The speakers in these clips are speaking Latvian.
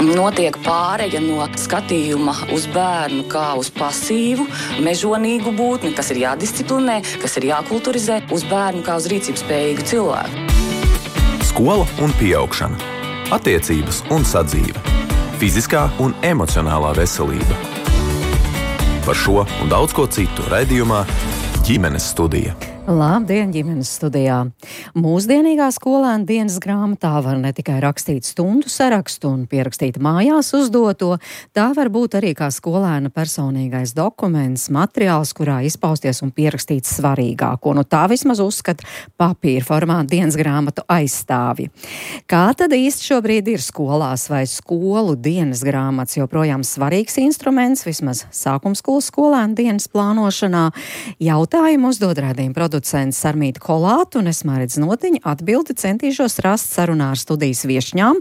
notiek pāreja no skatījuma uz bērnu kā uz pasīvu, mežonīgu būtni, kas ir jādisciplinē, kas ir jākulturizē, uz bērnu kā uz rīcības spējīgu cilvēku. Skola un pieaugšana, attiecības un sadzīve, fiziskā un emocionālā veselība. Par šo un daudz ko citu raidījumā Ģimenes studija. Labdien, ģimenes studijā! Mūsdienīgā skolēna dienas grāmatā var ne tikai rakstīt stundu sarakstu un pierakstīt mājās uzdoto, tā var būt arī kā skolēna personīgais dokuments, materiāls, kurā izpausties un pierakstīt svarīgāko. Nu tā vismaz uzskata papīra formāta dienas grāmatu aizstāvji. Kā tad īsti šobrīd ir skolās, vai skolu dienas grāmatas joprojām svarīgs instruments, vismaz sākumskolas skolēna dienas plānošanā? Jautājumu uzdod raidījuma producents Sarmīta Kolāta un es Māridze Notiņa atbildi centīšos rast sarunā ar studijas viešņām,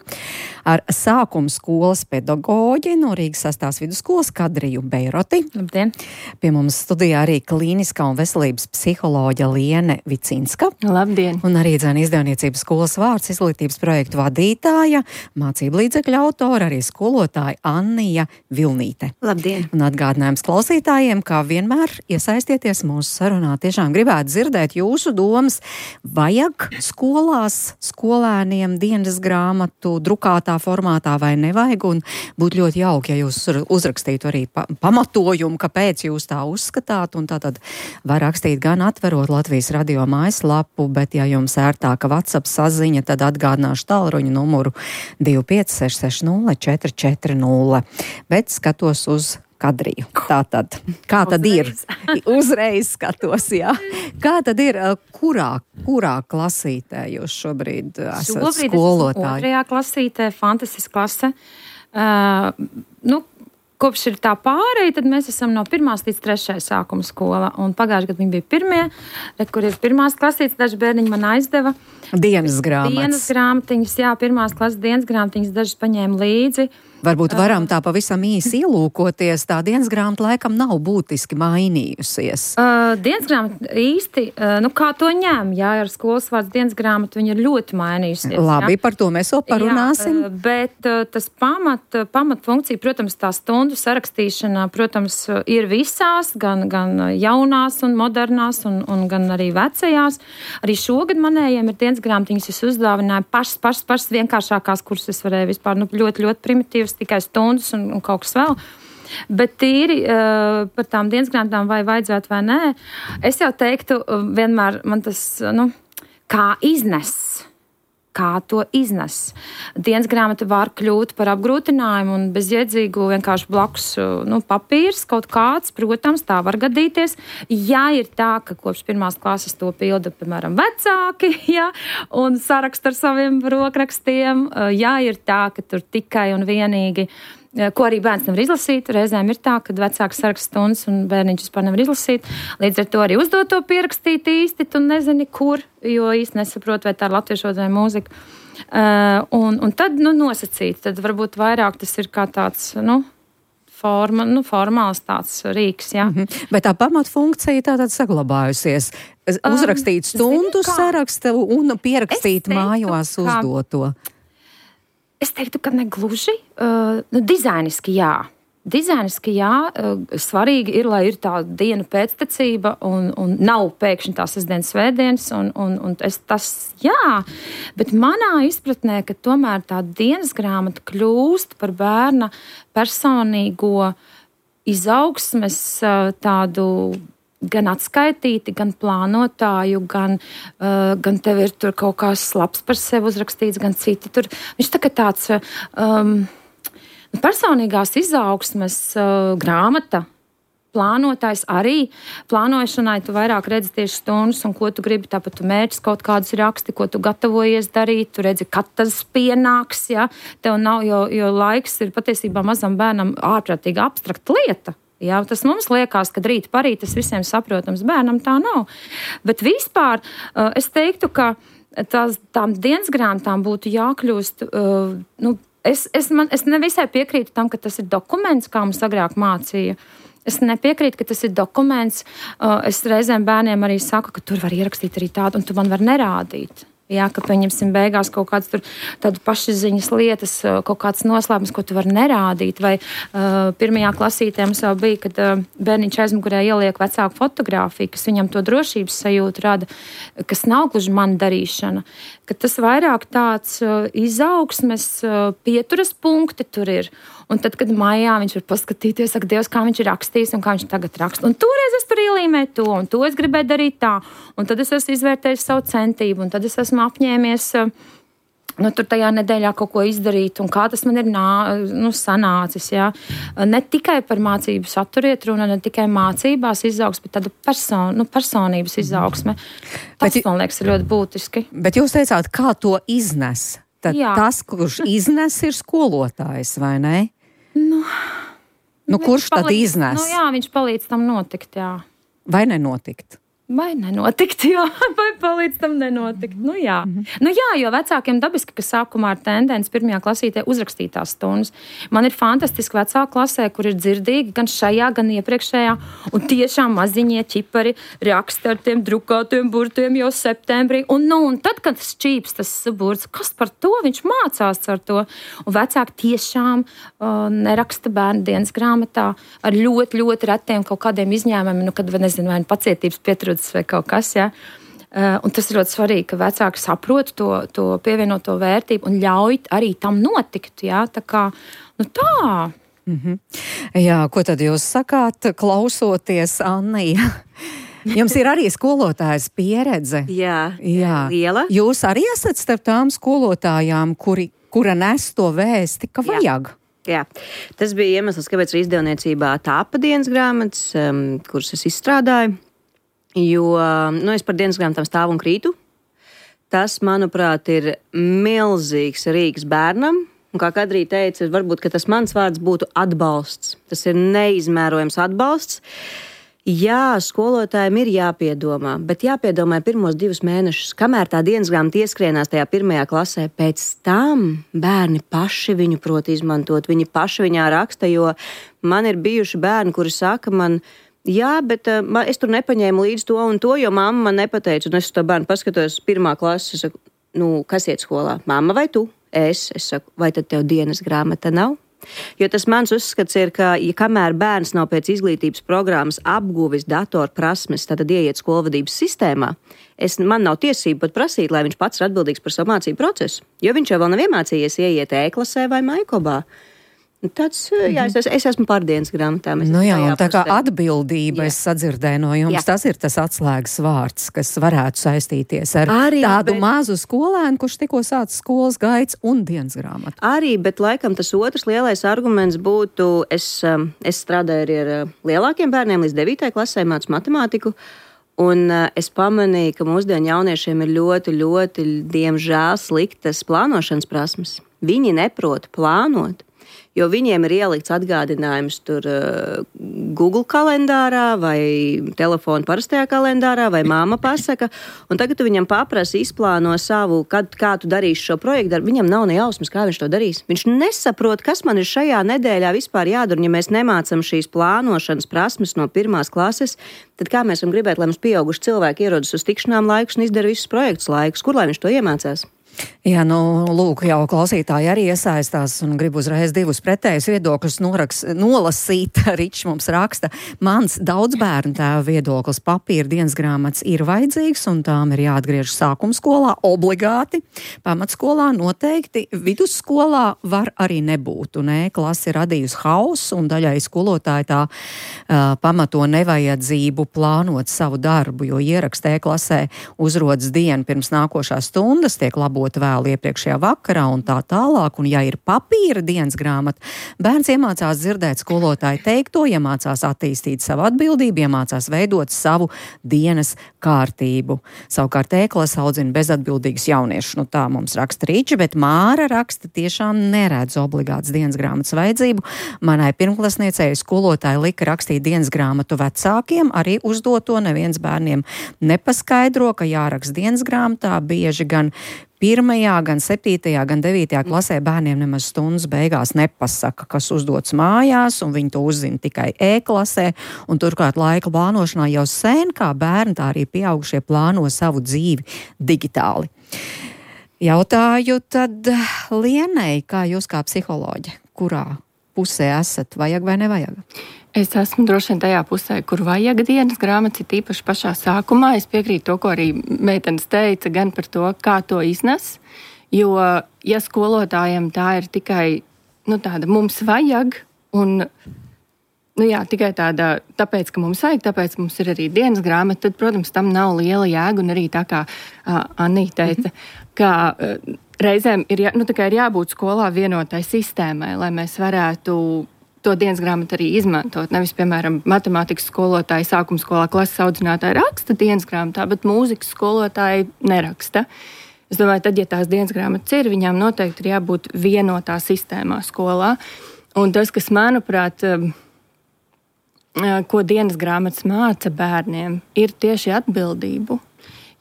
ar sākuma skolas pedagoģi no Rīgas 6. vidusskolas Kadriju Beiroti. Labdien! Pie mums studijā arī klīniskā un veselības psiholoģa Liene Vicinska. Labdien! Un arī izdevniecības skolas vārds izglītības projektu vadītāja, mācību līdzekļu autora, arī skolotāja Annija Vilnīte. Labdien! Un atgādinājums klausītājiem, kā vienmēr iesaistieties mūsu sarunā. Tiešām gribētu dzirdēt jūsu domas, vajag skolās skolēniem dienas grāmatu drukātā formātā vai nevajag, un būtu ļoti jauki, ja jūs uzrakstītu arī pamatojumu, kāpēc jūs tā uzskatāt, un tātad var rakstīt gan atverot Latvijas radio mājaslapu, bet ja jums ērtāka WhatsApp saziņa, tad atgādināšu tālruņa numuru 25 660 440, bet skatos uz Kadriju. Tātad, kā tad ir? Uzreiz skatos, jā. Kā tad ir, kurā klasītē jūs šobrīd esat skolotāji? Šobrīd esmu 2. klasītē, fantastiska klase. Kopš ir tā pārēja, tad mēs esam no 1. līdz 3. sākuma skola. Un pagājušajā gadā viņi bija 1. Kur ir 1. klasītes, daži bērniņi man aizdeva. Dienas grāmatas. Dienas grāmatiņas, jā, 1. klases dienas grāmatiņas dažas paņēma līdzi. Varbūt varam tā pavisam īsi ielūkoties, tā dienas grāmata laikam nav būtiski mainījusies. Dienas grāmata īsti, kā to ņem, jā, ar skolas vārds dienas grāmata, viņa ir ļoti mainījusies. Labi, jā. Par to mēs vēl parunāsim. Jā, bet tas pamat funkcija, protams, tā stundu sarakstīšana, protams, ir visās, gan jaunās un modernās, un gan arī vecajās. Arī šogad manējiem ir dienas grāmatiņas, es uzdāvināju pašas vienkāršākās, kuras es varēju vispār, ļoti, ļoti primitīvas, tikai stundas un kaut kas vēl. Bet tīri par tām dienas grāmatām vai vajadzētu vai nē, es jau teiktu, vienmēr man tas, kā to iznes. Dienas grāmata var kļūt par apgrūtinājumu un bezjēdzīgu vienkārši blakus papīrs kaut kāds, protams, tā var gadīties. Ja ir tā, ka kopš 1. klases to pilda, piemēram, vecāki, ja, un saraksta ar saviem rokrakstiem, ja ir tā, ka tur tikai un vienīgi ko arī bērns nevar izlasīt. Reizēm ir tā, ka vecāks saraksta stundas un bērniņš vispār nevar izlasīt. Līdz ar to arī uzdoto pierakstīt īsti, tu nezini, kur, jo īsti nesaprot, vai tā ir latviešu vai mūzika. Un tad, nosacīt, tad varbūt vairāk tas ir kā tāds, formāls tāds rīks, jā. Bet tā pamatfunkcija tātad saglabājusies. Uzrakstīt stundu sarakstu un pierakstīt mājās uzdoto. Es teiktu, ka negluži. Dizainiski jā. Svarīgi ir, lai ir tā diena pēctecība un nav pēkšņi tā sestdienas svētdienas. Tas jā, bet manā izpratnē, ka tomēr tā dienas grāmata kļūst par bērna personīgo izaugsmes tādu gan atskaitīti, gan plānotāju, gan tev ir tur kaut kā labs par sevi uzrakstīts, gan citi tur. Viņš tā kā tāds personīgās izaugsmes grāmata, plānotājs arī. Plānošanai tu vairāk redzi tieši stundas un ko tu gribi, tāpat tu mērķis kaut kādus raksti, ko tu gatavojies darīt, tu redzi, kad tas pienāks, ja? Tev nav, jo laiks ir patiesībā mazam bērnam ārprātīgi abstrakta lieta. Jā, tas mums liekas, ka rīt parīt tas visiem saprotams, bērnam tā nav. Bet vispār es teiktu, ka tām dienas grāmatām būtu jākļūst, es nevisai piekrītu tam, ka tas ir dokuments, kā mums agrāk mācīja. Es nepiekrītu, ka tas ir dokuments. Es reizēm bērniem arī saku, ka tur var ierakstīt arī tādu, un tu man var nerādīt. Jā, ka pieņemsim beigās kaut kādas tādu pašziņas lietas, kaut kāds noslēpums, ko tu vari nerādīt. Vai pirmajā klasītē mums jau bija, kad bērniņš aizmugurē ieliek vecāku fotogrāfiju, kas viņam to drošības sajūtu rada, kas nav gluži mana darīšana. Ka tas vairāk tāds izaugsmes pieturas punkti tur ir. Un tad, kad maijā viņš var paskatīties, saka, Dievs, kā viņš ir rakstījis un kā viņš tagad raksta. Un toreiz es tur ielīmēju to, un to es gribēju darīt tā. Un tad es esmu izvērtējis savu centību, un tad es esmu apņēmies tur tajā nedēļā kaut ko izdarīt, un kā tas man ir sanācis. Jā. Ne tikai par mācību saturu iet runa, ne tikai mācībās izaugsme, bet tāda personības izaugsme. Tas, man liekas, ir ļoti būtiski. Bet jūs teicāt, kā to iznes? Tad tas, kurš iznes, ir skolotājs, vai ne? Kurš tad iznes? Viņš palīdz tam notikt, jā. Vai nenotikt? Vai nenotikt, jā, vai palīdz tam nenotikt. Jā, jo vecākiem dabiski, ka sākumā ir tendence pirmajā klasītē uzrakstīt tās stundas. Man ir fantastiski vecāku klasē, kur ir dzirdīgi gan šajā, gan iepriekšējā, un tiešām maziņie ķipari raksta ar tiem drukātiem burtiem jau septembrī. Un tad, kad šķīps tas burts, kas par to? Viņš mācās ar to. Un vecāki tiešām neraksta bērnu dienas grāmatā ar ļoti, ļoti retiem kaut kādiem izņēmumiem, kad, nezinu, vai pacietības pietrūkst vai kaut kas, jā. Un tas ir ļoti svarīgi, ka vecāki saprot to pievienoto vērtību un ļauj arī tam notikt, jā. Tā kā, tā. Mm-hmm. Jā, ko tad jūs sakāt, klausoties, Annija? Jums ir arī skolotājas pieredze. Jā, liela. Jūs arī esat starp tām skolotājām, kura nes to vēsti, ka vajag. Jā, tas bija iemesls, kāpēc izdevniecībā tāpa dienas grāmatas, kuras es izstrādāju. Jo es par dienas grāmatām stāvu un krītu. Tas, manuprāt, ir milzīgs rīks bērnam. Un kā Kadrija teica, varbūt, ka tas mans vārds būtu atbalsts. Tas ir neizmērojams atbalsts. Jā, skolotājiem ir jāpiedomā, bet jāpiedomā pirmos 2 mēnešus, kamēr tā dienas grāmata ieskrienās tajā 1. klasē. Pēc tam bērni paši viņu prot izmantot, viņi paši viņā raksta, jo man ir bijuši bērni, kuri saka man, jā, bet es tur nepaņēmu līdz to un to, jo mamma man nepateica. Un es to bērnu paskatos 1. klases, es saku, kas iet skolā? Mamma vai tu? Es saku, vai tad tev dienas grāmata nav? Jo tas mans uzskats ir, ka, kamēr bērns nav pēc izglītības programmas apguvis datorprasmes, tad ieiet skolvadības sistēmā, man nav tiesība pat prasīt, lai viņš pats ir atbildīgs par savu mācību procesu. Jo viņš jau vēl nav iemācījies ieiet e-klasē vai Maikobā. Es esmu par dienas grāmatām. Tā kā atbildība, es sadzirdēju no jums, tas ir tas atslēgas vārds, kas varētu saistīties ar tādu mazu skolēnu, kurš tikko sācis skolas gaids un dienas grāmatu. Arī, bet laikam tas otrs lielais arguments būtu, es strādāju arī ar lielākiem bērniem līdz 9. klasē, mācu matemātiku, un es pamanīju, ka mūsdienu jauniešiem ir ļoti, ļoti, diemžēl, sliktas plānošanas prasmes. Viņi neprot plānot. Jo viņiem ir ielikts atgādinājums tur Google kalendārā vai telefona parastajā kalendārā vai māma pasaka, un tagad tu viņam paprasi izplāno savu, kā tu darīsi šo projektu, viņam nav ne jausmas, kā viņš to darīs. Viņš nesaprot, kas man ir šajā nedēļā vispār jādara, ja mēs nemācam šīs plānošanas prasmes no 1. klases, tad kā mēs varam gribēt, lai mums pieauguši cilvēki ierodas uz tikšanām laikus un izdara visus projektus laikus, kur lai viņš to iemācās? Jā, lūk, jau klausītāji arī iesaistās un grib uzreiz 2 pretējus viedokļus nolasīt. Ričs mums raksta, mans daudz bērnu tēva viedoklis, papīra dienas grāmatas ir vajadzīgs un tām ir jāatgriež sākumskolā obligāti, pamatskolā noteikti, vidusskolā var arī nebūt. Un klase ir radījusi hausu un daļai skolotāji tā pamato nevajadzību plānot savu darbu, jo ierakstē klasē uzrodas dienu pirms nākošās stundas, tiek labot vēl iepriekšējā vakarā un tā tālāk, un ja ir papīra dienas grāmata, bērns iemācās dzirdēt skolotāju teikto, iemācās attīstīt savu atbildību, iemācās veidot savu dienas kārtību. Savukārt e-klase audzina bezatbildīgus jauniešus. Tā mums raksta Rīča, bet Māra raksta tiešām neredz obligāts dienas grāmatas vajadzību. Manai pirmklasniecei skolotāji lika rakstīt dienas grāmatu vecākiem, arī uzdot to neviens bērniem nepaskaidro, ka jāraksta dienas grāmatā bieži gan 1., gan 7., gan 9. klasē bērniem nemaz stundas beigās nepasaka, kas uzdots mājās, un viņi to uzzina tikai e-klasē, un turklāt laika plānošanā jau sen, kā bērni, tā arī pieaugušie plāno savu dzīvi digitāli. Jautāju tad Lienei, kā jūs kā psiholoģe, kurā pusē esat, vajag vai nevajag? Es esmu droši vien tajā pusē, kur vajag dienas grāmatas, ir tīpaši pašā sākumā. Es piekrītu to, ko arī meitenes teica, gan par to, kā to iznes. Jo, ja skolotājiem tā ir tikai tāda mums vajag, un tikai tāda, tāpēc, ka mums vajag, tāpēc mums ir arī dienas grāmata, tad, protams, tam nav liela jēga, un arī tā kā Anīte teica, ka reizēm ir jābūt skolā vienotai sistēmai, lai mēs varētu to dienas grāmatu arī izmantot. Nevis, piemēram, matemātikas skolotāji sākuma skolā klases audzinātāji raksta dienas grāmatā, bet mūzikas skolotāji neraksta. Es domāju, tad, ja tās dienas grāmatas ir, viņām noteikti ir jābūt vienotā sistēmā skolā. Un tas, kas, manuprāt, ko dienas grāmatas māca bērniem, ir tieši atbildību.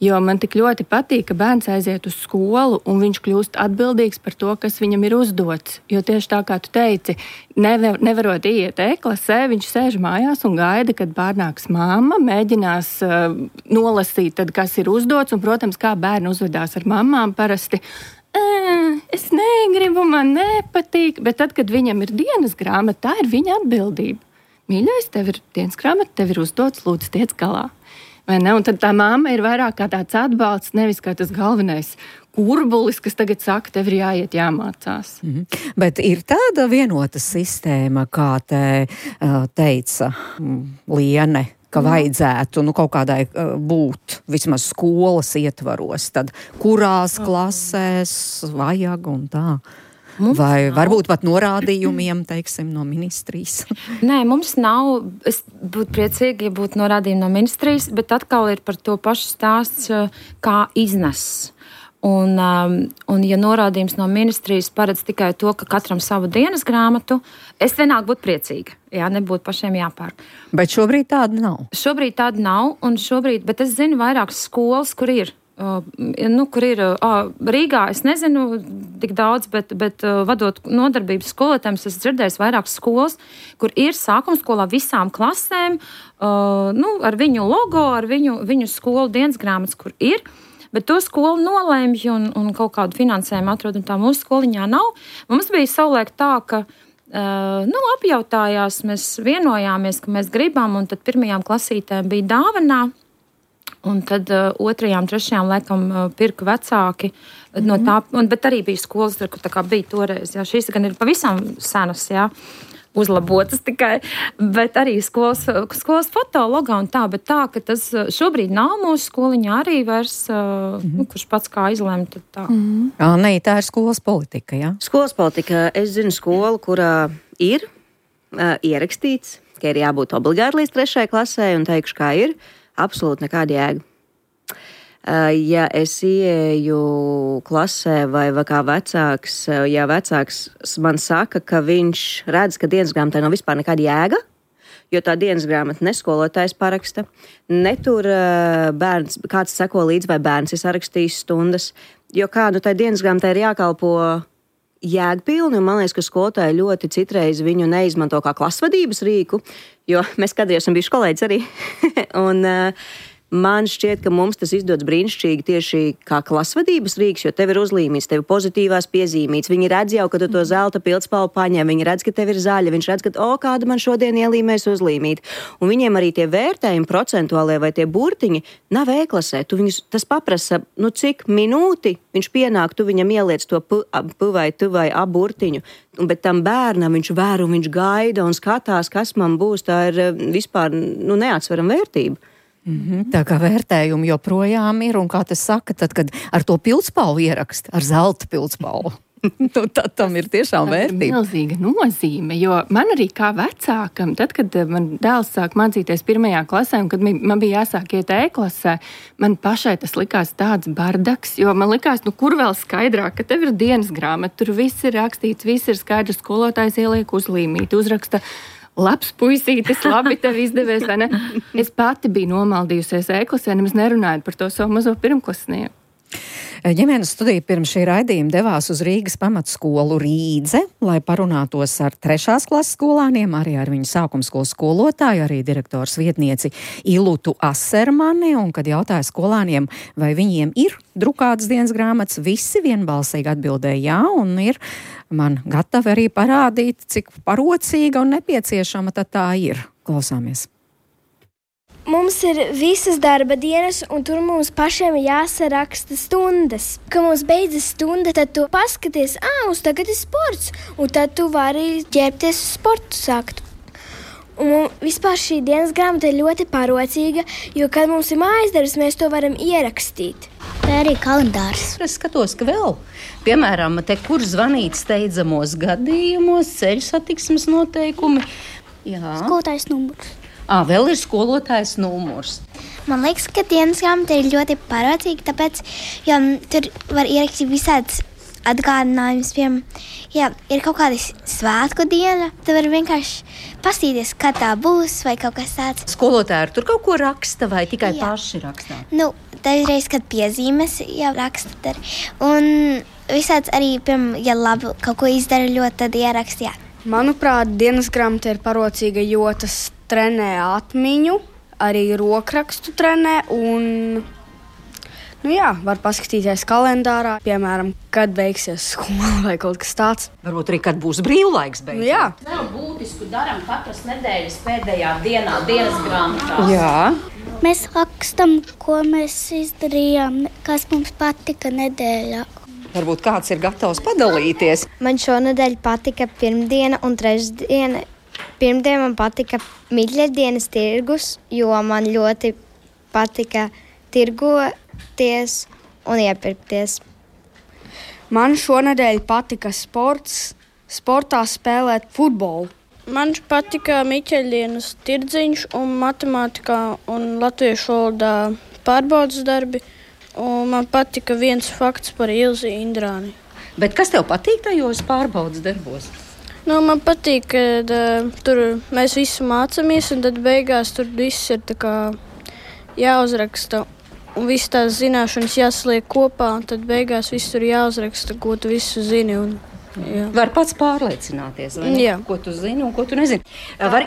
Jo man tik ļoti patīk, ka bērns aiziet uz skolu un viņš kļūst atbildīgs par to, kas viņam ir uzdots. Jo tieši tā, kā tu teici, nevarot iet e-klasē, viņš sēž mājās un gaida, kad pārnāks mamma, mēģinās nolasīt, tad, kas ir uzdots. Un, protams, kā bērni uzvedās ar mammām parasti. Es negribu, man nepatīk. Bet tad, kad viņam ir dienas grāmata, tā ir viņa atbildība. Mīļais, tev ir dienas grāmata, tev ir uzdots, lūdzu, tiec galā. Vai ne? Un tad tā mamma ir vairāk kā tāds atbalsts, nevis kā tas galvenais kurbulis, kas tagad saka, tev ir jāiet, jāmācās. Bet ir tāda vienota sistēma, kā te teica Liene, ka vajadzētu kaut kādai būt vismaz skolas ietvaros, tad kurās klasēs vajag un tā. Vai varbūt pat norādījumiem, teiksim, no ministrijas? Nē, mums nav. Es būtu priecīgi, ja būtu norādījumi no ministrijas, bet atkal ir par to pašu stāsts, kā iznes. Un ja norādījums no ministrijas paredz tikai to, ka katram savu dienas grāmatu, es vienāk būtu priecīga. Jā, nebūtu pašiem jāpērk. Bet šobrīd tāda nav. Šobrīd tāda nav, bet es zinu vairākas skolas, kur ir. Kur ir Rīgā, es nezinu tik daudz, bet vadot nodarbības skolotājiem, es dzirdēju vairākas skolas, kur ir sākuma skolā visām klasēm, ar viņu logo, ar viņu skolu dienas grāmatas, kur ir, bet to skolu nolēmj un kaut kādu finansējumu atrod, un tā mūsu skoliņā nav. Mums bija savulaik tā, ka apjautājās, mēs vienojāmies, ka mēs gribam, un tad pirmajām klasītēm bija dāvanā. Un tad 2., 3. laikam pirka vecāki no tā, bet arī bija skolas, kur tā kā bija toreiz. Jā, šīs gan ir pavisam senas, jā, uzlabotas tikai, bet arī skolas fotologā un tā, bet tā, ka tas šobrīd nav mūsu skoliņā arī vairs, kurš pats kā izlēma, tad tā. Nē, tā ir skolas politika, jā? Skolas politika, es zinu skolu, kurā ir ierakstīts, ka ir jābūt obligāti līdz 3. klasē, un teikšu, kā ir. Absolūti nekāda jēga. Ja es ieeju klasē vai kā vecāks, ja vecāks man saka, ka viņš redz, ka dienas grāmatai nav vispār nekāda jēga, jo tā dienas grāmata ne skolotājs paraksta, ne tur bērns, kāds seko līdz vai bērns ir sarakstījis stundas, jo tai dienas grāmatai ir jākalpo jēgpilni, un man liekas, ka skolotāji ļoti citreiz viņu neizmanto kā klasvadības rīku, jo mēs kādreiz esam bijuši kolēģis arī. Un man šķiet, ka mums tas izdodas brīnišķīgi tieši kā klasvadības rīks, jo tev ir uzlīmīts, tev ir pozitīvās piezīmītes. Viņi redz jau, ka tu to zelta pildspalvu paņem, viņi redz, ka tev ir zaļa, viņš redz, ka, kāda man šodien ielīmēs uzlīmīt. Un viņiem arī tie vērtējumi procentuālie vai tie burtiņi nav e-klasē. Tas paprasa, cik minūti viņš pienāk, tu viņam ieliec to p vai tu vai a burtiņu. Bet tam bērnam viņš vēro, viņš gaida un skatās, kas man būs. Tā ir vispār neatsverama vērtība. Tā kā vērtējumi joprojām ir, un kā tas saka, tad, kad ar to pildspalvu ierakst, ar zelta pildspalvu, tad tam ir tiešām vērtība. Tā ir milzīga nozīme, jo man arī kā vecākam, tad, kad man dēls sāk mācīties 1. klasē, un kad man bija jāsāk iet e-klasē, man pašai tas likās tāds bardaks, jo man likās, kur vēl skaidrāk, ka tev ir dienas grāmata, tur viss ir rakstīts, viss ir skaidrs, skolotājs ieliek uzlīmīt, uzraksta labs puisītis, labi tev izdevies, vai ne? Es pati biju nomaldījusies e-klasē, nemaz nerunājot par to savu mazo pirmklasnieku. Ģimenes studija pirms šī raidījuma devās uz Rīgas pamatskolu Rīdze, lai parunātos ar 3. klases skolāniem, arī ar viņu sākumskolas skolotāju, arī direktors vietnieci Ilutu Asermani, un kad jautāja skolāniem, vai viņiem ir drukātas dienas grāmatas, visi vienbalsīgi atbildēja jā, un ir man gatavi arī parādīt, cik parocīga un nepieciešama tad tā ir. Klausāmies. Mums ir visas darba dienas, un tur mums pašiem jāsaraksta stundas. Kad mums beidzas stunda, tad tu paskaties, mums tagad ir sports, un tad tu vari ģērbties uz sportu sākt. Un vispār šī dienas grāmata ir ļoti parocīga, jo, kad mums ir mājas darbs, mēs to varam ierakstīt. Tā arī kalendārs. Es skatos, ka vēl, piemēram, te, kur zvanīt steidzamos gadījumos, ceļu satiksmes noteikumi. Jā. Skolotājs numurs. Vēl ir skolotājs numurs. Man liekas, ka dienas grāmata ir ļoti parocīga, tāpēc, jo tur var ierakstīt visādas atgādinājumus. Ja ir kaut kāda svētku diena, tad var vienkārši pastīties, kad tā būs vai kaut kas tāds. Skolotāji tur kaut ko raksta vai tikai paši rakstā? Dažreiz, kad piezīmes raksta tur. Un visāds arī, ja labi kaut ko izdara ļoti, tad ierakstījā. Manuprāt, dienas grāmata ir parocīga, jo tas trenē atmiņu, arī rokrakstu trenē un, var paskatīties kalendārā, piemēram, kad beigsies skola vai kaut kas tāds. Varbūt arī, kad būs brīvlaiks beidzot. Jā. Vēl būtisku daram katras nedēļas pēdējā dienā dienas grāmatās. Jā. Mēs rakstam, ko mēs izdarījām, kas mums patika nedēļā. Varbūt kāds ir gatavs padalīties. Man šonedēļ patika pirmdiena un trešdiena. Pirmdien man patika Midļadienas tirgus, jo man ļoti patika tirgoties un iepirkties. Man šonedēļ patika sportā spēlēt futbolu. Man patika Miķeļdienas tirdziņš un matemātikā un latviešu valodā pārbaudas darbi. Un man patika viens fakts par Ilzi Indrāni. Bet kas tev patīk tajos pārbaudas darbos? Man patīk, ka tur mēs visu mācāmies, un tad beigās tur viss ir tā kā jāuzraksta. Un viss tās zināšanas jāsliek kopā, un tad beigās viss tur jāuzraksta, ko tu visu zini. Var pats pārliecināties, vai ne? Jā. Ko tu zini un ko tu nezini.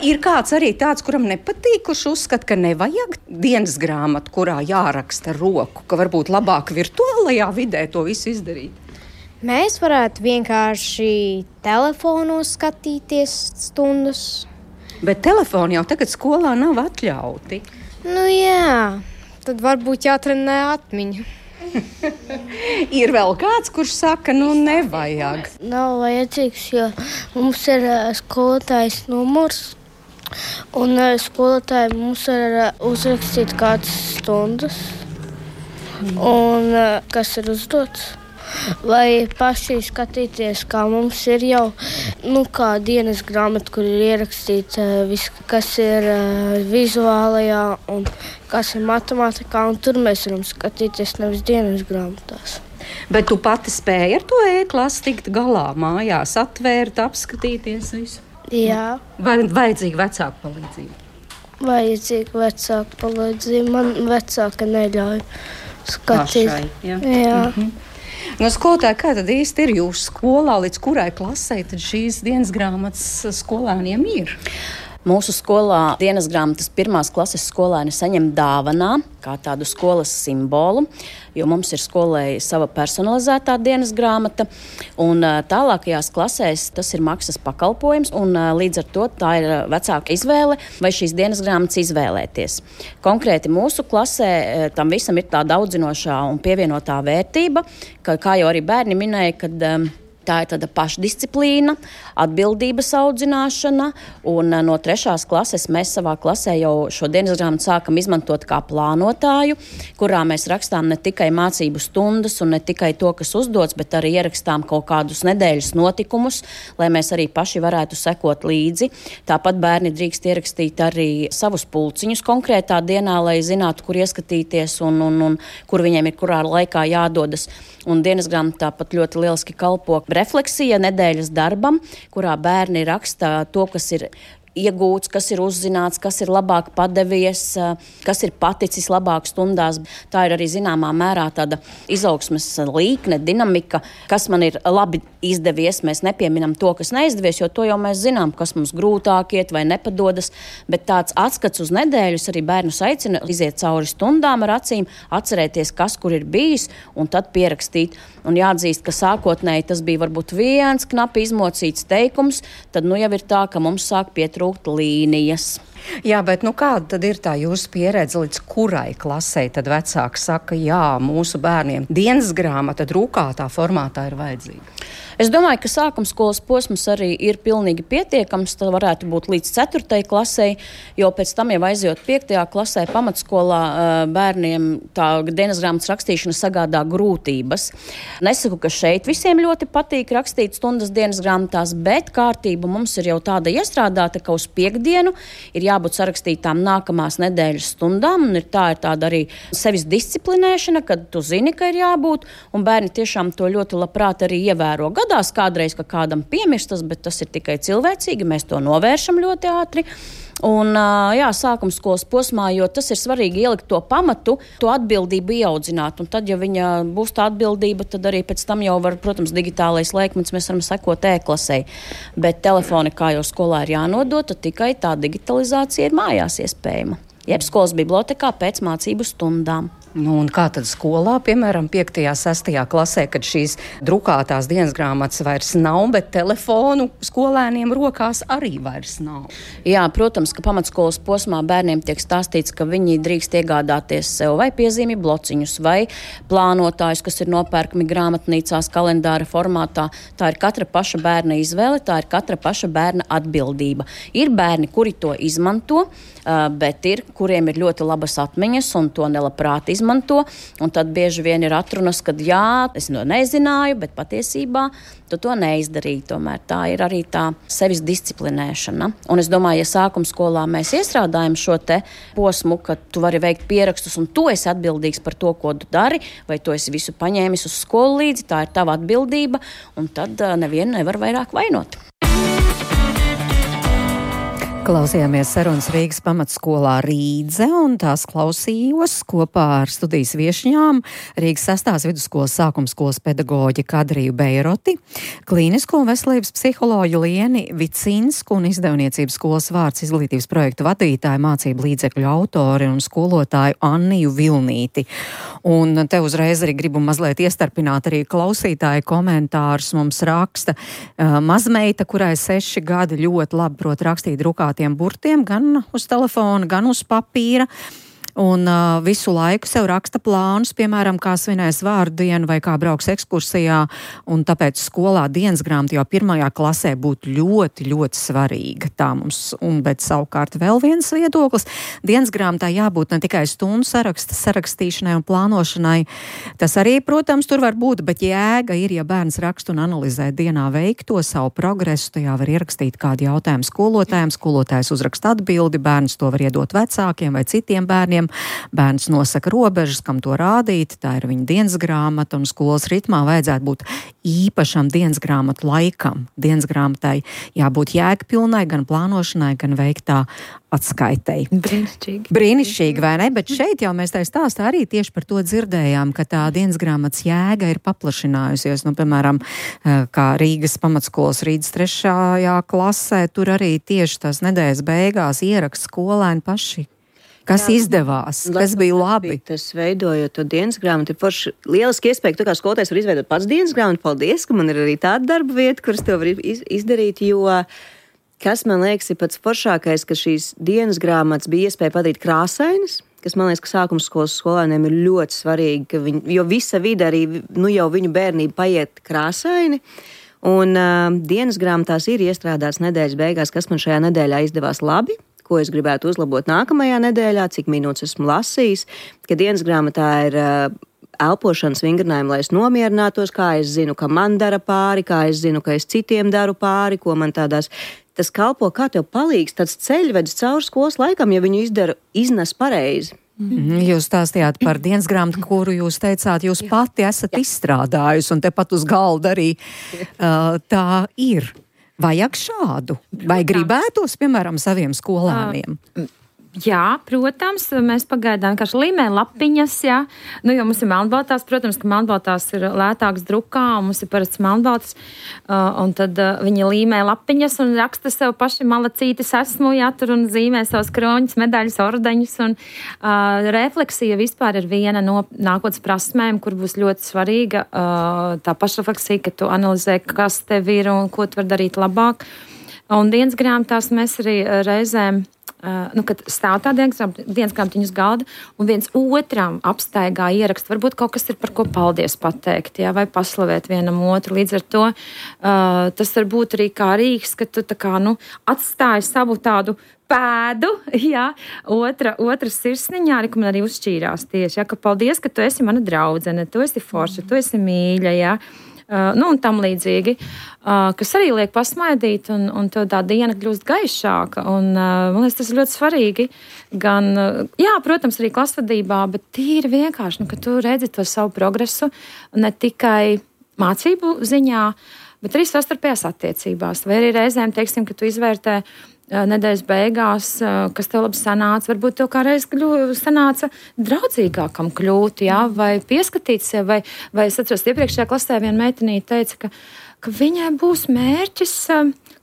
Ir kāds arī tāds, kuram nepatīk, kurš uzskata, ka nevajag dienas grāmatu, kurā jāraksta roku, ka varbūt labāk virtuālajā vidē to visu izdarīt. Mēs varētu vienkārši telefonos skatīties stundas. Bet telefoni jau tagad skolā nav atļauti. Jā, tad varbūt jātrenē atmiņa. Ir vēl kāds, kurš saka, nevajag. Nav vajadzīgs, jo mums ir skolotājs numurs, un skolotāji mums ir uzrakstīt kādas stundas, un kas ir uzdots. Lai paši skatīties, kā mums ir jau kā dienas grāmata, kur ir ierakstīts viss, kas ir vizuālajā un kas ir matemātikā, un tur mēs varam skatīties nevis dienas grāmatās. Bet tu pati spēji ar to e-klasi tikt galā mājās, atvērt, apskatīties visu? Jā. Vai vajadzīga vecāka palīdzība? Vajadzīga vecāka palīdzība. Man vecāka neļauj skatīt. Pašai, jā. Jā. Skolotāji, kā tad īsti ir jūsu skolā, līdz kurai klasē tad šīs dienas grāmatas skolēniem ir? Mūsu skolā dienas grāmatas 1. klases skolēni saņem dāvanā kā tādu skolas simbolu, jo mums ir skolai sava personalizētā dienas grāmata, un tālākajās klasēs tas ir maksas pakalpojums, un līdz ar to tā ir vecāka izvēle, vai šīs dienas grāmatas izvēlēties. Konkrēti mūsu klasē tam visam ir tāda audzinošā un pievienotā vērtība, ka, kā jau arī bērni minēja, kad tā ir tāda pašdisciplīna, atbildības audzināšana, un no 3. klases mēs savā klasē jau šo dienas grāmatu sākam izmantot kā plānotāju, kurā mēs rakstām ne tikai mācību stundas un ne tikai to, kas uzdots, bet arī ierakstām kaut kādus nedēļas notikumus, lai mēs arī paši varētu sekot līdzi. Tāpat bērni drīkst ierakstīt arī savus pulciņus konkrētā dienā, lai zinātu, kur ieskatīties un kur viņiem ir kurā laikā jādodas. Un dienas grāmata tāpat ļoti lieliski kalpo refleksija nedēļas darbam, kurā bērni raksta to, kas ir iegūts, kas ir uzzināts, kas ir labāk padevies, kas ir paticis labāk stundās. Tā ir arī zināmā mērā tāda izaugsmes līkne, dinamika, kas man ir labi izdevies. Mēs nepieminam to, kas neizdevies, jo to jau mēs zinām, kas mums grūtāk iet vai nepadodas, bet tāds atskats uz nedēļas arī bērnus aicina iziet cauri stundām ar acīm, atcerēties, kas kur ir bijis un tad pierakstīt. Un jāatzīst, ka sākotnēji tas bija varbūt viens knapi izmocīts teikums, tad nu jau ir tā, ka mums sāk pietrūkt līnijas. Jā, bet kāda tad ir tā jūsu pieredze, līdz kurai klasei tad vecāki saka, jā, mūsu bērniem dienas grāmata drukātā formātā ir vajadzīga? Es domāju, ka sākumskolas posms arī ir pilnīgi pietiekams. Tas varētu būt līdz 4. klasei, jo pēc tam jau aizjot 5. klasē pamatskolā bērniem tā dienas grāmatas rakstīšana sagādā grūtības. Nesaku, ka šeit visiem ļoti patīk rakstīt stundas dienas grāmatās, bet kārtība mums ir jau tāda iestrādāta, ka uz piekdienu ir jābūt sarakstītām nākamās nedēļas stundām, un ir tāda arī sevis disciplinēšana, kad tu zini, ka ir jābūt, un bērni tiešām to ļoti labprāt arī ievēro. Gadās kādreiz, ka kādam piemirstas, bet tas ir tikai cilvēcīgi, mēs to novēršam ļoti ātri. Un, sākumskolas posmā, jo tas ir svarīgi ielikt to pamatu, to atbildību ieaudzināt. Un tad, ja viņa būs tā atbildība, tad arī pēc tam jau var, protams, digitālais laikmets, mēs varam sekot e-klasei. Bet telefoni, kā jau skolā ir jānodota, tikai tā digitalizācija ir mājās iespējama. Jeb skolas bibliotekā pēc mācību stundām. Un kā tad skolā, piemēram, 5. 6. klasē, kad šīs drukātās dienas grāmatas vairs nav, bet telefonu skolēniem rokās arī vairs nav? Jā, protams, ka pamatskolas posmā bērniem tiek stāstīts, ka viņi drīkst iegādāties sev vai piezīmju blociņus, vai plānotājus, kas ir nopērkami grāmatnīcās kalendāra formātā. Tā ir katra paša bērna izvēle, tā ir katra paša bērna atbildība. Ir bērni, kuri to izmanto, bet ir, kuriem ir ļoti labas atmiņas un to nelabprāt izmanto, un tad bieži vien ir atrunas, kad jā, es to nezināju, bet patiesībā tu to neizdarīji. Tomēr tā ir arī tā sevis disciplinēšana. Un es domāju, ja sākumskolā mēs iestrādājam šo te posmu, ka tu vari veikt pierakstus un tu esi atbildīgs par to, ko tu dari, vai tu esi visu paņēmis uz skolu līdzi, tā ir tava atbildība, un tad nevienu nevar vairāk vainot. Klausījāmies sarunas Rīgas pamatskolā Rīdze, un tās klausījos kopā ar studijas viešņām Rīgas 6. vidusskolas sākumskolas pedagoģi Kadriju Beiroti, klīnisko un veselības psiholoģu Lieni Vicinsku un izdevniecības skolas vārds izglītības projektu vadītāju, mācību līdzekļu autori un skolotāju Anniju Vilnīti. Un te uzreiz arī gribu mazliet iestarpināt arī klausītāju komentārus. Mums raksta mazmeita, kurai 6 gadi ļoti labi prot rakstīt drukātiem burtiem, gan uz telefona, gan uz papīra. Un visu laiku sev raksta plānus, piemēram, kā svinēs vārdu dienu vai kā brauks ekskursijā, un tāpēc skolā dienas grāmata jau 1. klasē būtu ļoti, ļoti svarīga. Tā mums, bet savukārt vēl viens viedoklis. Dienas grāmatā jābūt ne tikai stundu sarakstīšanai un plānošanai. Tas arī, protams, tur var būt, bet jēga ir, ja bērns raksta un analizē dienā veikto savu progresu, tajā var ierakstīt kādu jautājumu skolotājiem, skolotājs uzraksta atbildi, bērns to var iedot vecākiem vai citiem bērniem. Bērns nosaka robežas, kam to rādīt, tā ir viņa dienas grāmata, un skolas ritmā vajadzētu būt īpašam dienas grāmatu laikam. Dienas grāmatai jābūt jēgpilnai, gan plānošanai, gan veiktā atskaitei. Brīnišķīgi, vai ne? Bet šeit jau mēs tā stāstā arī tieši par to dzirdējām, ka tā dienas grāmatas jēga ir paplašinājusies. Piemēram, kā Rīgas pamatskolas Rīgas 3. klasē, tur arī tieši tās nedēļas beigās ieraksta skolēni paši. Kas izdevās, kas bija labi. Tas veidojot to dienas grāmatu, ir forši lieliski iespēja, ka tu kā skolotājs var izveidot pats dienas grāmatu. Paldies, ka man ir arī tāda darba vieta, kuras to var izdarīt, jo kas man liekas ir pats foršākais, ka šīs dienas grāmatas bija iespēja padarīt krāsainas, kas man liekas, ka sākumskolas skolēniem ir ļoti svarīgi, jo visa vide arī, jau viņu bērnība paiet krāsaini. Un dienas grāmatās ir iestrādāts nedēļas beigās, kas man šajā nedēļā izdevās labi, ko es gribētu uzlabot nākamajā nedēļā, cik minūtes esmu lasījis, ka dienas grāmatā ir elpošanas vingrinājumi, lai es nomierinātos, kā es zinu, ka man dara pāri, kā es zinu, ka es citiem daru pāri, ko man tādās. Tas kalpo, kā tev palīgs tāds ceļvedis cauri skolas laikam, ja viņu iznes pareizi. Jūs stāstījāt par dienas grāmatu, kuru jūs teicāt, jūs pati esat izstrādājusi, un tepat uz galda arī tā ir. Vajag šādu? Vai gribētos, piemēram, saviem skolēniem? Jā, protams, mēs pagaidām vienkārši līmējam lapiņas, jā. Nu, jo mums ir melnbaltās, protams, ka melnbaltās ir lētāks drukā, un mums ir parasts melnbaltas, un tad viņi līmē lapiņas un raksta sev paši malacītis esmu, jā, tur un zīmē savus kroņus, medaļas, ordeņus, un refleksija vispār ir viena no nākotnes prasmēm, kur būs ļoti svarīga, tā pašrefleksija, ka tu analizē, kas tev ir un ko tu var darīt labāk. Un dienas grāmatās mēs arī reizēm kad stāv tā dienas grāmatiņas galda un viens otram apstaigā ierakst, varbūt kaut kas ir par ko paldies pateikt, jā, vai paslavēt vienam otru. Līdz ar to tas var būt arī kā rīks, ka tu tā kā, atstāji savu tādu pēdu, jā, otra sirsniņā, ka man arī uzšķīrās tieši, jā, ka paldies, ka tu esi mana draudzene, tu esi forša, tu esi mīļa, jā. Un tam līdzīgi, kas arī liek pasmaidīt, un tev tā diena kļūst gaišāka. Un, man liekas, tas ir ļoti svarīgi. Gan, jā, protams, arī klasvadībā, bet tīri vienkārši, ka tu redzi to savu progresu ne tikai mācību ziņā, bet arī savstarpējās attiecībās. Vai arī reizēm, teiksim, ka tu izvērtē nedēļas beigās, kas tev labi sanāca, varbūt tev kā reiz sanāca draudzīgākam kļūt, jā, vai pieskatīt sev, vai es atceros, iepriekšējā klasē viena meitenīte teica, ka viņai būs mērķis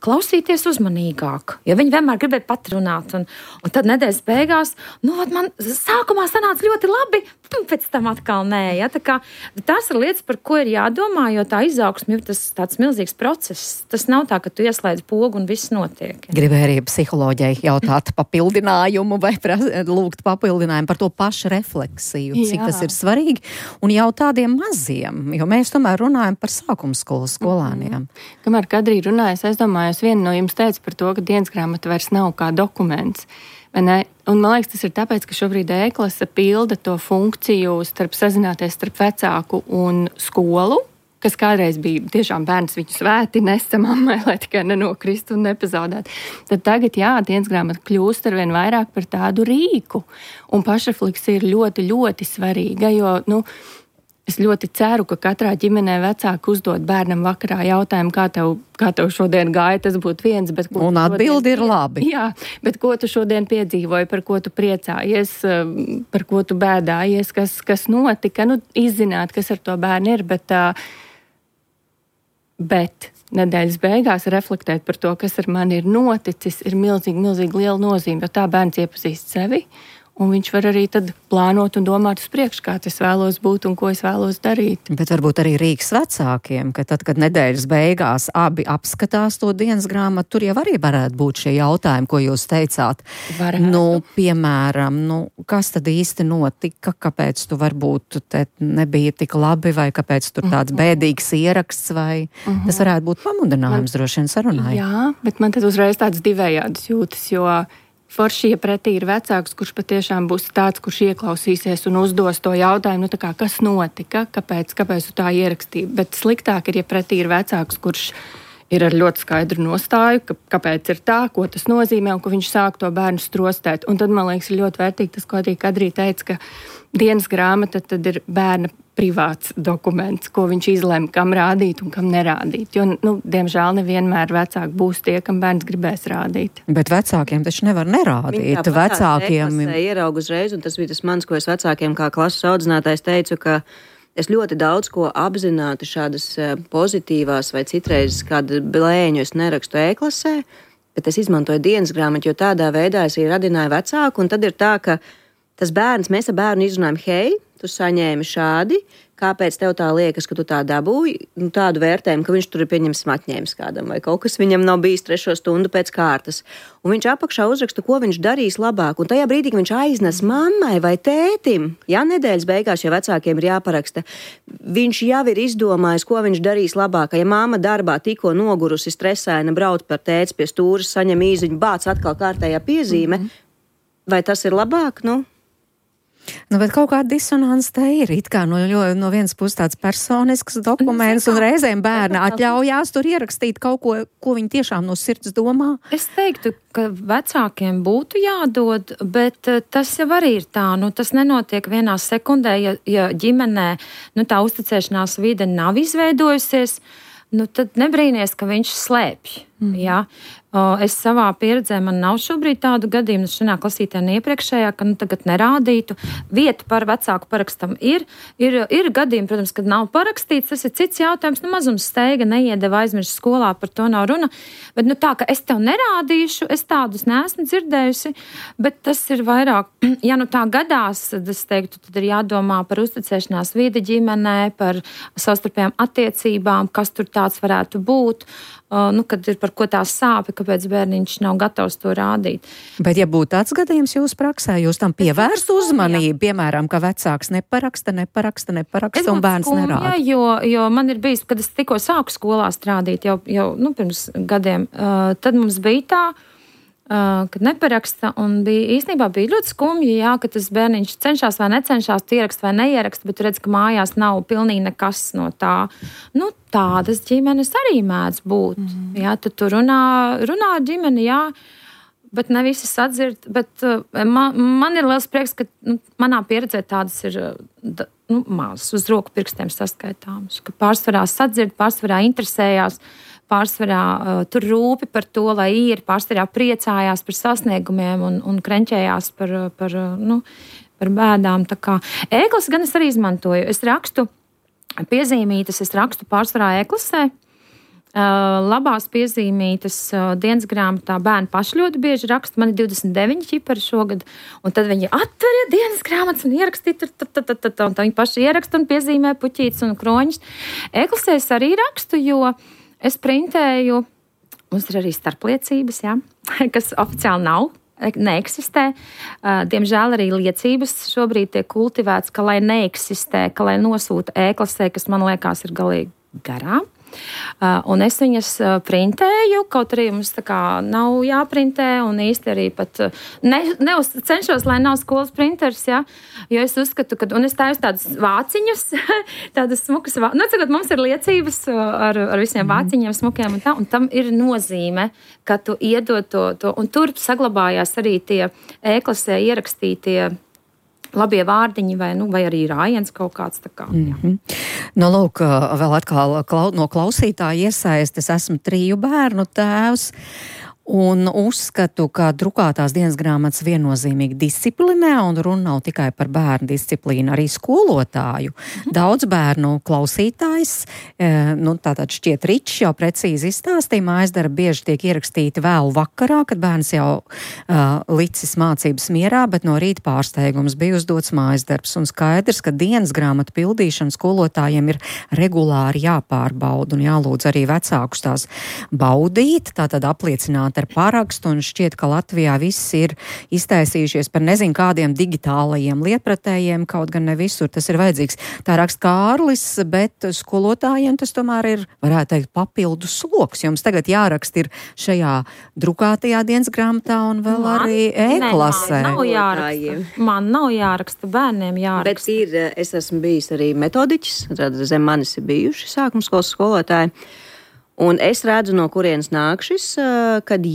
klausīties uzmanīgāk, jo viņi vienmēr gribēja patrunāt, un tad nedēļas beigās, man sākumā sanāca ļoti labi, pēc tam atkal nē, ja, tā kā tās ir lietas, par ko ir jādomā, jo tā izaugsme ir tāds milzīgs process, tas nav tā, ka tu ieslēdz pogu un viss notiek. Ja. Gribēju arī psiholoģijai jautāt papildinājumu vai lūgt papildinājumu par to pašu refleksiju, cik tas ir svarīgi, un jau tādiem maziem, jo mēs tomēr runājam par sākumskolas skolēniem. Kamēr Kadrī runājas, es domāju, viena no jums teica par to, ka dienas grāmata vairs nav kā dokuments. Un man liekas, tas ir tāpēc, ka šobrīd e-klase pilda to funkciju starp sazināties starp vecāku un skolu, kas kādreiz bija tiešām bērns viņu svēti nesa mammai, lai tikai nenokristu un nepazaudētu. Tad tagad, jā, dienas grāmata kļūst arvien vairāk par tādu rīku. Un pašrefleksija ir ļoti, ļoti svarīga, jo, es ļoti ceru, ka katrā ģimenē vecāki uzdod bērnam vakarā jautājumu, kā tev šodien gāja, tas būtu viens. Bet un atbildi ir labi. Jā, bet ko tu šodien piedzīvoji, par ko tu priecājies, par ko tu bēdājies, kas notika, izzināt, kas ar to bērnu ir, bet nedēļas beigās reflektēt par to, kas ar mani ir noticis, ir milzīgi liela nozīme, jo tā bērns iepazīst sevi. Un viņš var arī tad plānot un domāt uz priekšu, kā es vēlos būt un ko es vēlos darīt. Bet varbūt arī rīks vecākiem, ka tad, kad nedēļas beigās abi apskatās to dienas grāmatu, tur jau arī varētu būt šie jautājumi, ko jūs teicāt. Piemēram, kas tad īsti notika, kāpēc tu varbūt te nebija tik labi, vai kāpēc tur tāds bēdīgs ieraksts, vai tas varētu būt pamudinājums droši vien sarunai. Jā, bet man tad uzreiz tāds divējādas jūtas, jo forši, ja pretī ir vecāks, kurš patiešām būs tāds, kurš ieklausīsies un uzdos to jautājumu, kas notika, kāpēc tu tā ierakstīji. Bet sliktāk ir, ja pretī ir vecāks, kurš ir ar ļoti skaidru nostāju, kāpēc ir tā, ko tas nozīmē, un ka viņš sāk to bērnu strostēt. Un tad, man liekas, ir ļoti vērtīgi tas, ko arī Kadrī teica, ka dienas grāmata tad ir bērna privāts dokuments, ko viņš izlem, kam rādīt un kam nerādīt. Jo, diemžēl nevienmēr vecāki būs tie, kam bērns gribēs rādīt. Bet vecākiem taču nevar nerādīt. Vecākiem ieraugu uzreiz, un tas bija tas mans, ko es vecākiem kā klases audzinātājs teicu, ka es ļoti daudz ko apzināti šādas pozitīvās vai citreiz kādu blēņu es nerakstu e-klasē, bet es izmantoju dienas grāmatu, jo tādā veidā es arī radināju vecāku, un tad ir tā, ka tas bērns, mēs ar bērnu izrunājam, hei, tu saņēmi šādi, kāpēc tev tā liekas, ka tu tā dabūji, tādu vērtējumu, ka viņš tur ir pieņemsim atņēmis kādam, vai kaut kas viņam nav bijis 3 stundu pēc kārtas. Un viņš apakšā uzraksta, ko viņš darīs labāk. Un tajā brīdī, kad viņš aiznes mammai vai tētim, nedēļas beigās, ja vecākiem ir jāparaksta, viņš jau ir izdomājis, ko viņš darīs labāk. Ja mamma darbā tikko nogurusi, stresaina, brauc par tēti pie stūras, saņem īziņu, bāc atkal kārtējā piezīme, vai tas ir labāk? Bet kaut kāda disonance te ir. It kā no vienas puses tāds personisks dokuments, un reizēm bērni atļaujās tur ierakstīt kaut ko viņi tiešām no sirds domā. Es teiktu, ka vecākiem būtu jādod, bet tas jau arī ir tā. Tas nenotiek vienā sekundē, ja ģimenē tā uzticēšanās vide nav izveidojusies, tad nebrīnies, ka viņš slēpj. Jā. Es savā pieredzē, man nav šobrīd tādu gadījumu, šajā klasītē un iepriekšējā, ka tagad nerādītu. Vieta par vecāku parakstam ir gadījumi, protams, kad nav parakstīts, tas ir cits jautājums, mazums steiga, neiedeva aizmirst skolā, par to nav runa, bet tā, ka es tev nerādīšu, es tādus neesmu dzirdējusi, bet tas ir vairāk, ja tā gadās, tad es teiktu, tad ir jādomā par uzticēšanās vidi ģimenē, par savstarpējām attiecībām, kas tur tāds varētu būt, kad ir par ko tās sāpi, kāpēc bērniņš nav gatavs to rādīt. Bet, ja būtu tāds gadījums jūsu praksē, jūs tam pievērst uzmanību, piemēram, ka vecāks neparaksta un bērns nerāda? Jo man ir bijis, kad es tikko sāku skolā strādīt, jau pirms gadiem, tad mums bija tā, kad neparaksta, un īstenībā bija ļoti skumji, ka tas bērniņš cenšas vai necenšas, ierakst vai neierakst, bet redz, ka mājās nav pilnīgi nekas no tā. Tādas ģimenes arī mēdz būt. Tad tu runā ar ģimeni, bet ne visi sadzird. Bet man ir liels prieks, ka manā pieredzē tādas ir mazas uz roku pirkstiem saskaitāmas, ka pārsvarā sadzird, pārsvarā interesējās, pārsvarā tur rūpi par to, lai ir, pārsvarā priecājās par sasniegumiem un krenķējās par bēdām. Tā kā ēklas gan es arī izmantoju. Es rakstu piezīmītas, es rakstu pārsvarā ēklasē. Labās piezīmītas dienas grāmatā bērni paši ļoti bieži raksta. Man ir 29 ķipari šogad, un tad viņi atver dienas grāmatas un ierakstīt, un viņi paši ieraksta un piezīmē puķītes un kroņus. Ēklasē es arī rakstu, jo es printēju, mums ir arī starpliecības, kas oficiāli nav, neeksistē. Diemžēl arī liecības šobrīd tiek kultivēts, ka lai neeksistē, ka lai nosūta ēklasē, kas man liekas ir galīgi garām. Un es viņas printēju, kaut arī mums tā kā nav jāprintē, un īsti arī pat cenšos, lai nav skolas printers, jo es uzskatu, un es taisu tādas vāciņas, tādas smukas, mums ir liecības ar visiem vāciņiem, smukiem un tam ir nozīme, ka tu iedod to, un tur saglabājās arī tie ēklasē ierakstītie labie vārdiņi vai arī rājiens kaut kāds tā kā. Lūk, vēl atkal no klausītāja iesaistes, esmu 3 bērnu tēvs. Un uzskatu, ka drukātās dienas grāmatas viennozīmīgi disciplinē, un runa nav tikai par bērnu disciplīnu, arī skolotāju. Daudz bērnu klausītājs, tātad šķiet Ričs jau precīzi izstāstīja, mājasdarbi bieži tiek ierakstīti vēlu vakarā, kad bērns jau licis mācības mierā, bet no rīta pārsteigums bija uzdots mājasdarbs, un skaidrs, ka dienas grāmatu pildīšana skolotājiem ir regulāri jāpārbauda un jālūdz arī vecākus tās baudīt, tātad apliecināt ar parakstu, un šķiet, ka Latvijā viss ir iztaisījušies par nezinu kādiem digitālajiem lietpratējiem, kaut gan ne visur tas ir vajadzīgs. Tā raksta Kārlis, bet skolotājiem tas tomēr ir, varētu teikt, papildus sloks. Jums tagad jāraksta ir šajā drukātajā dienas grāmatā un vēl arī e-klasē. Man nav jāraksta, bērniem jāraksta. Bet es esmu bijis arī metodiķis, tad zem manis ir bijuši sākumskolas skolotāji. Un es redzu, no kurienes nāk šis, kad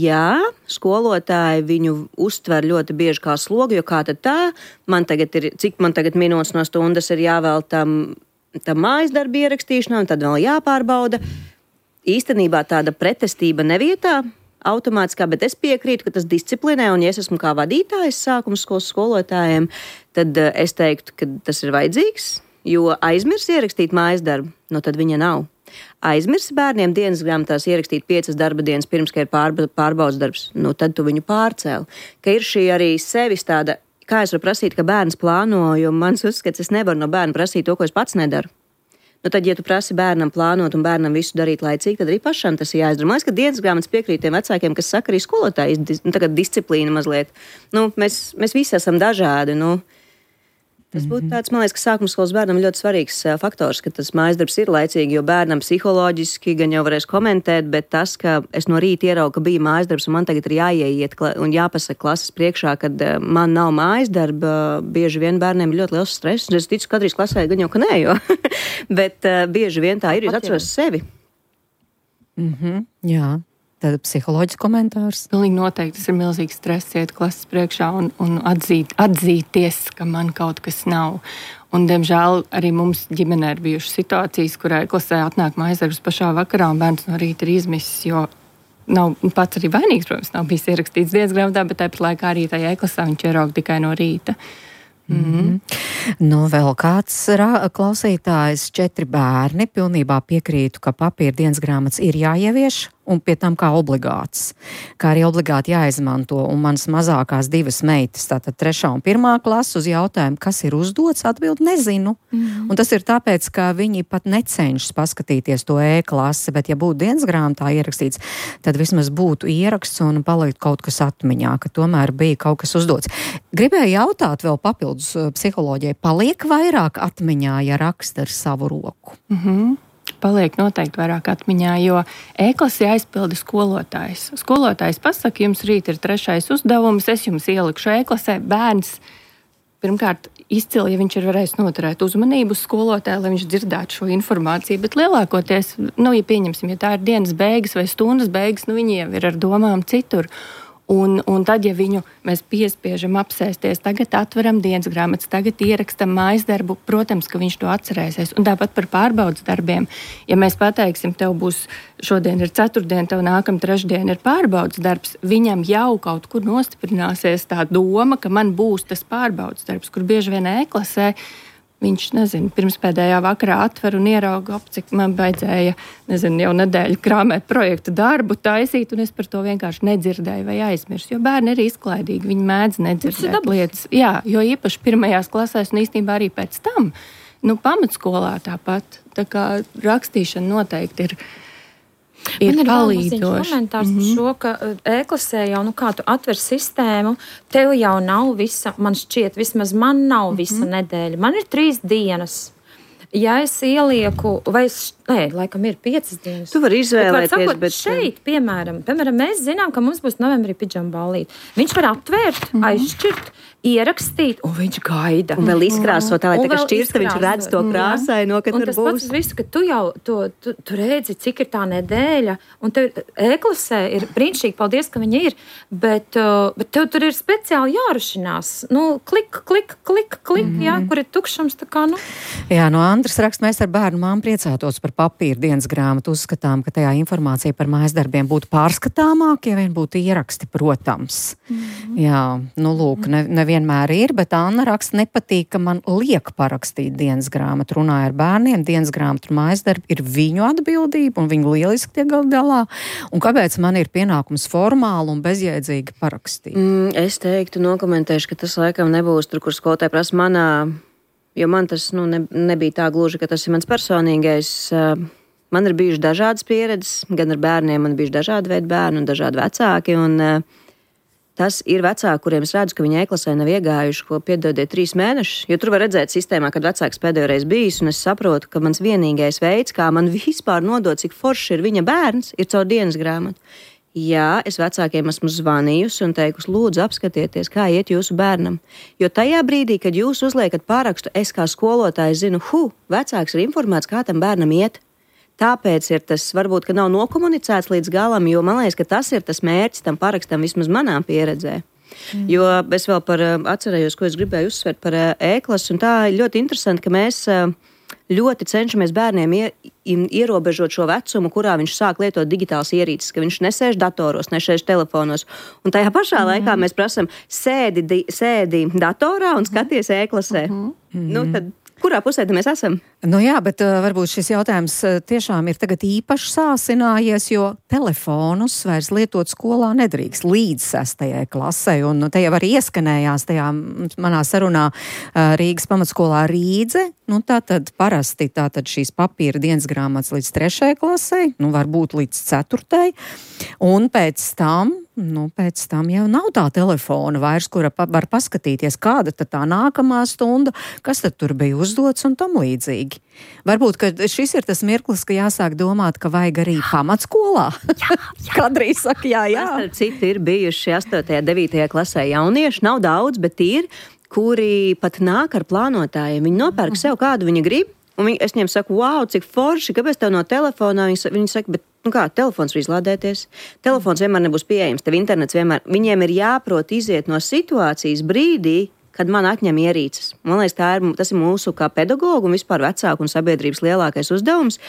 skolotāji viņu uztver ļoti bieži kā slogu, jo kā tad tā, cik man tagad minūtes no stundas ir jāvēl tam mājasdarbu ierakstīšanā, un tad vēl jāpārbauda. Īstenībā tāda pretestība nevietā, automātiskā, bet es piekrītu, ka tas disciplinē, un ja es esmu kā vadītājs sākumskolas skolotājiem, tad es teiktu, ka tas ir vajadzīgs, jo aizmirs ierakstīt mājasdarbu, tad viņa nav. Aizmirsi bērniem dienas grāmatās ierakstīt 5 darba dienas pirms, ka ir pārbaudas darbs, tad tu viņu pārcēli. Ka ir šī arī sevis tāda, kā es varu prasīt, ka bērns plāno, jo mans uzskats, es nevaru no bērna prasīt to, ko es pats nedaru. Tad, ja tu prasi bērnam plānot un bērnam visu darīt laicīgi, tad arī pašam tas ir jāizdara. Man liekas, ka dienas grāmatas piekrīt tiem vecākiem, kas saka arī skolotāji, tagad disciplīna mazliet. Mēs visi esam dažādi, Tas būtu tāds, man liekas, ka sākumskolas bērnam ļoti svarīgs faktors, ka tas mājasdarbs ir laicīgi, jo bērnam psiholoģiski gan jau varēs komentēt, bet tas, ka es no rīta ieraugu, ka bija mājasdarbs un man tagad ir jāieiet un jāpasaka klases priekšā, kad man nav mājasdarba, bieži vien bērniem ir ļoti liels stress. Es ticu, ka kadrīs klasē gan jau, ka nē, jo, bet bieži vien tā ir, jūs atceros sevi. Jā. Tad psiholoģisks komentārs. Pilnīgi noteikti tas ir milzīgs stress iet klases priekšā un atzīties, ka man kaut kas nav. Un, diemžēl, arī mums ģimenē ir bijušas situācijas, kurā klasē atnāk mājasdarbs pašā vakarā un bērns no rīta ir izmisis, jo nav pats arī vainīgs, protams, nav bijis ierakstīts dienas grāmatā, bet tāpat laikā arī tajā e-klasā viņš ierauga tikai no rīta. Nu, vēl kāds klausītājs, 4 bērni, pilnībā piekrītu, ka papīra dienas grāmatas ir jāievieš un pie tam kā obligāts, kā arī obligāti jāizmanto. Un manas mazākās 2 meitas, tātad 3. un 1. klase, uz jautājumu, kas ir uzdots, atbild nezinu. Un tas ir tāpēc, ka viņi pat necenšas paskatīties to e-klasi, bet ja būtu dienas grāmatā ierakstīts, tad vismaz būtu ieraksts un palikt kaut kas atmiņā, ka tomēr bija kaut kas uzdots. Gribēju jautāt vēl papildus psiholoģijai, paliek vairāk atmiņā, ja raksta ar savu roku? Paliek noteikti vairāk atmiņā, jo e-klasi aizpilda skolotājs. Skolotājs pasaka, jums rīt ir 3. uzdevums, es jums ielikšu e-klasē. Bērns pirmkārt izcili, ja viņš ir varējis noturēt uzmanību uz skolotāju, lai viņš dzirdētu šo informāciju, bet lielākoties, ja pieņemsim, ja tā ir dienas beigas vai stundas beigas, viņi jau ir ar domām citur. Un tad, ja viņu mēs piespiežam apsēsties, tagad atveram dienas grāmatas, tagad ierakstam mājas darbu, protams, ka viņš to atcerēsies. Un tāpat par pārbaudas darbiem. Ja mēs pateiksim, tev būs šodien ir 4. tev nākam 3. ir pārbaudas darbs, viņam jau kaut kur nostiprināsies tā doma, ka man būs tas pārbaudas darbs, kur bieži vien e-klasē viņš, pirms pēdējā vakarā atver un ierauga, cik man baidzēja, jau nedēļu krāmēt projektu darbu, taisīt, un es par to vienkārši nedzirdēju vai aizmirsu, jo bērni ir izklaidīgi, viņi mēdz nedzirdēt lietas. Jā, jo īpaši 1. klasēs un īstenībā arī pēc tam, pamatskolā tāpat, tā kā rakstīšana noteikti ir Man ir vēl palīdzoši. Komentārs par šo, ka e-klasē jau, kā tu atver sistēmu, tev jau nav visa, man šķiet, vismaz man nav visa nedēļa. Man ir 3 dienas. Ja es ielieku, laikam ir 5 dienas. Tu vari izvēlēties, bet šeit, piemēram, mēs zinām, ka mums būs novembrī pidžama ballīte. Viņš var atvērt, aizšķirt, ierakstīt, un viņš gaida. Un vēl izkrāsot, tā, lai tā kā šķirsta, viņš redz to krāsaino, ka tur būs. Un tas pats visu, ka tu jau tu redzi, cik ir tā nedēļa, un tev e-klasē ir brīnišķīgi, paldies, ka viņa ir, bet tev tur ir speciāli jārušinās. Klik, jā, kur ir tukšums, tā kā, Jā, no Andras raksta, mēs ar bērnu māmu priecātos par papīra dienas grāmatu, uzskatām, ka tajā informācija par mājas darbiem būtu pārskatāmāk, ja vien būtu ieraksti, protams. Jā, lūk, nevienmēr ir, bet Anna raksta, nepatīk, ka man liek parakstīt dienas grāmatu. Runāja ar bērniem, dienas grāmatu un mājas darbi ir viņu atbildība, un viņi lieliski tiek galā. Un kāpēc man ir pienākums formāli un bezjēdzīgi parakstīt? Es teiktu, nokomentēšu, ka tas laikam nebūs tur, kur skolotāji prasa manā, jo man tas nebija tā gluži, ka tas ir mans personīgais. Man ir bijuši dažādas pieredzes, gan ar bērniem, man bijuši dažādi veidi bērni un dažādi vecāki, un tas ir vecāki, kuriem es redzu, ka viņi e-klasē nav iegājuši, ko piedodiet 3 mēnešus, jo tur var redzēt sistēmā, kad vecāks pēdējo reizi bijis, un es saprotu, ka mans vienīgais veids, kā man vispār nodot, cik forši ir viņa bērns, ir caur dienas grāmatu. Jā, es vecākiem esmu zvanījusi un teikusi, lūdzu apskatieties, kā iet jūsu bērnam. Jo tajā brīdī, kad jūs uzliekat pārakstu, es kā skolotājs zinu, vecāks ir informēts, kā tam bērnam iet. Tāpēc ir tas, varbūt, ka nav nokomunicēts līdz galam, jo man liekas, ka tas ir tas mērķis tam parakstam vismaz manā pieredzē. Jo es vēl atcerējos, ko es gribēju uzsvērt par e-klasu, un tā ir ļoti interesanti, ka mēs ļoti cenšamies bērniem ierobežot šo vecumu, kurā viņš sāk lietot digitālas ierīces, ka viņš nesēž datoros, nesēž telefonos. Un tajā pašā laikā mēs prasam, sēdi datorā un skaties e-klasē. Tad kurā pusē mēs esam? Jā, bet varbūt šis jautājums tiešām ir tagad īpaši sāsinājies, jo telefonus vairs lietot skolā nedrīkst līdz 6. klasē. Un te jau arī ieskanējās tajā manā sarunā Rīgas pamatskolā Rīdze. Tātad parasti šīs papīra dienas grāmatas līdz 3. klasē, varbūt līdz 4. Un pēc tam jau nav tā telefona vairs, kura var paskatīties, kāda tad tā nākamā stunda, kas tad tur bija uzdots un tam līdzīgi. Varbūt, ka šis ir tas mirklis, ka jāsāk domāt, ka vajag arī pamatskolā. Kadrīs saka, jā. Citi ir bijuši 8. 9. klasē jaunieši, nav daudz, bet ir, kuri pat nāk ar plānotājiem. Viņi nopērk sev kādu viņa grib, un es viņiem saku, wow, cik forši, kāpēc tev no telefonā? Viņi saka, bet telefons var izlādēties. Telefons vienmēr nebūs pieejams, tev internets vienmēr. Viņiem ir jāprot iziet no situācijas brīdī, kad man atņem ierīces. Man liekas, tas ir mūsu kā pedagogu un vispār vecāku un sabiedrības lielākais uzdevums.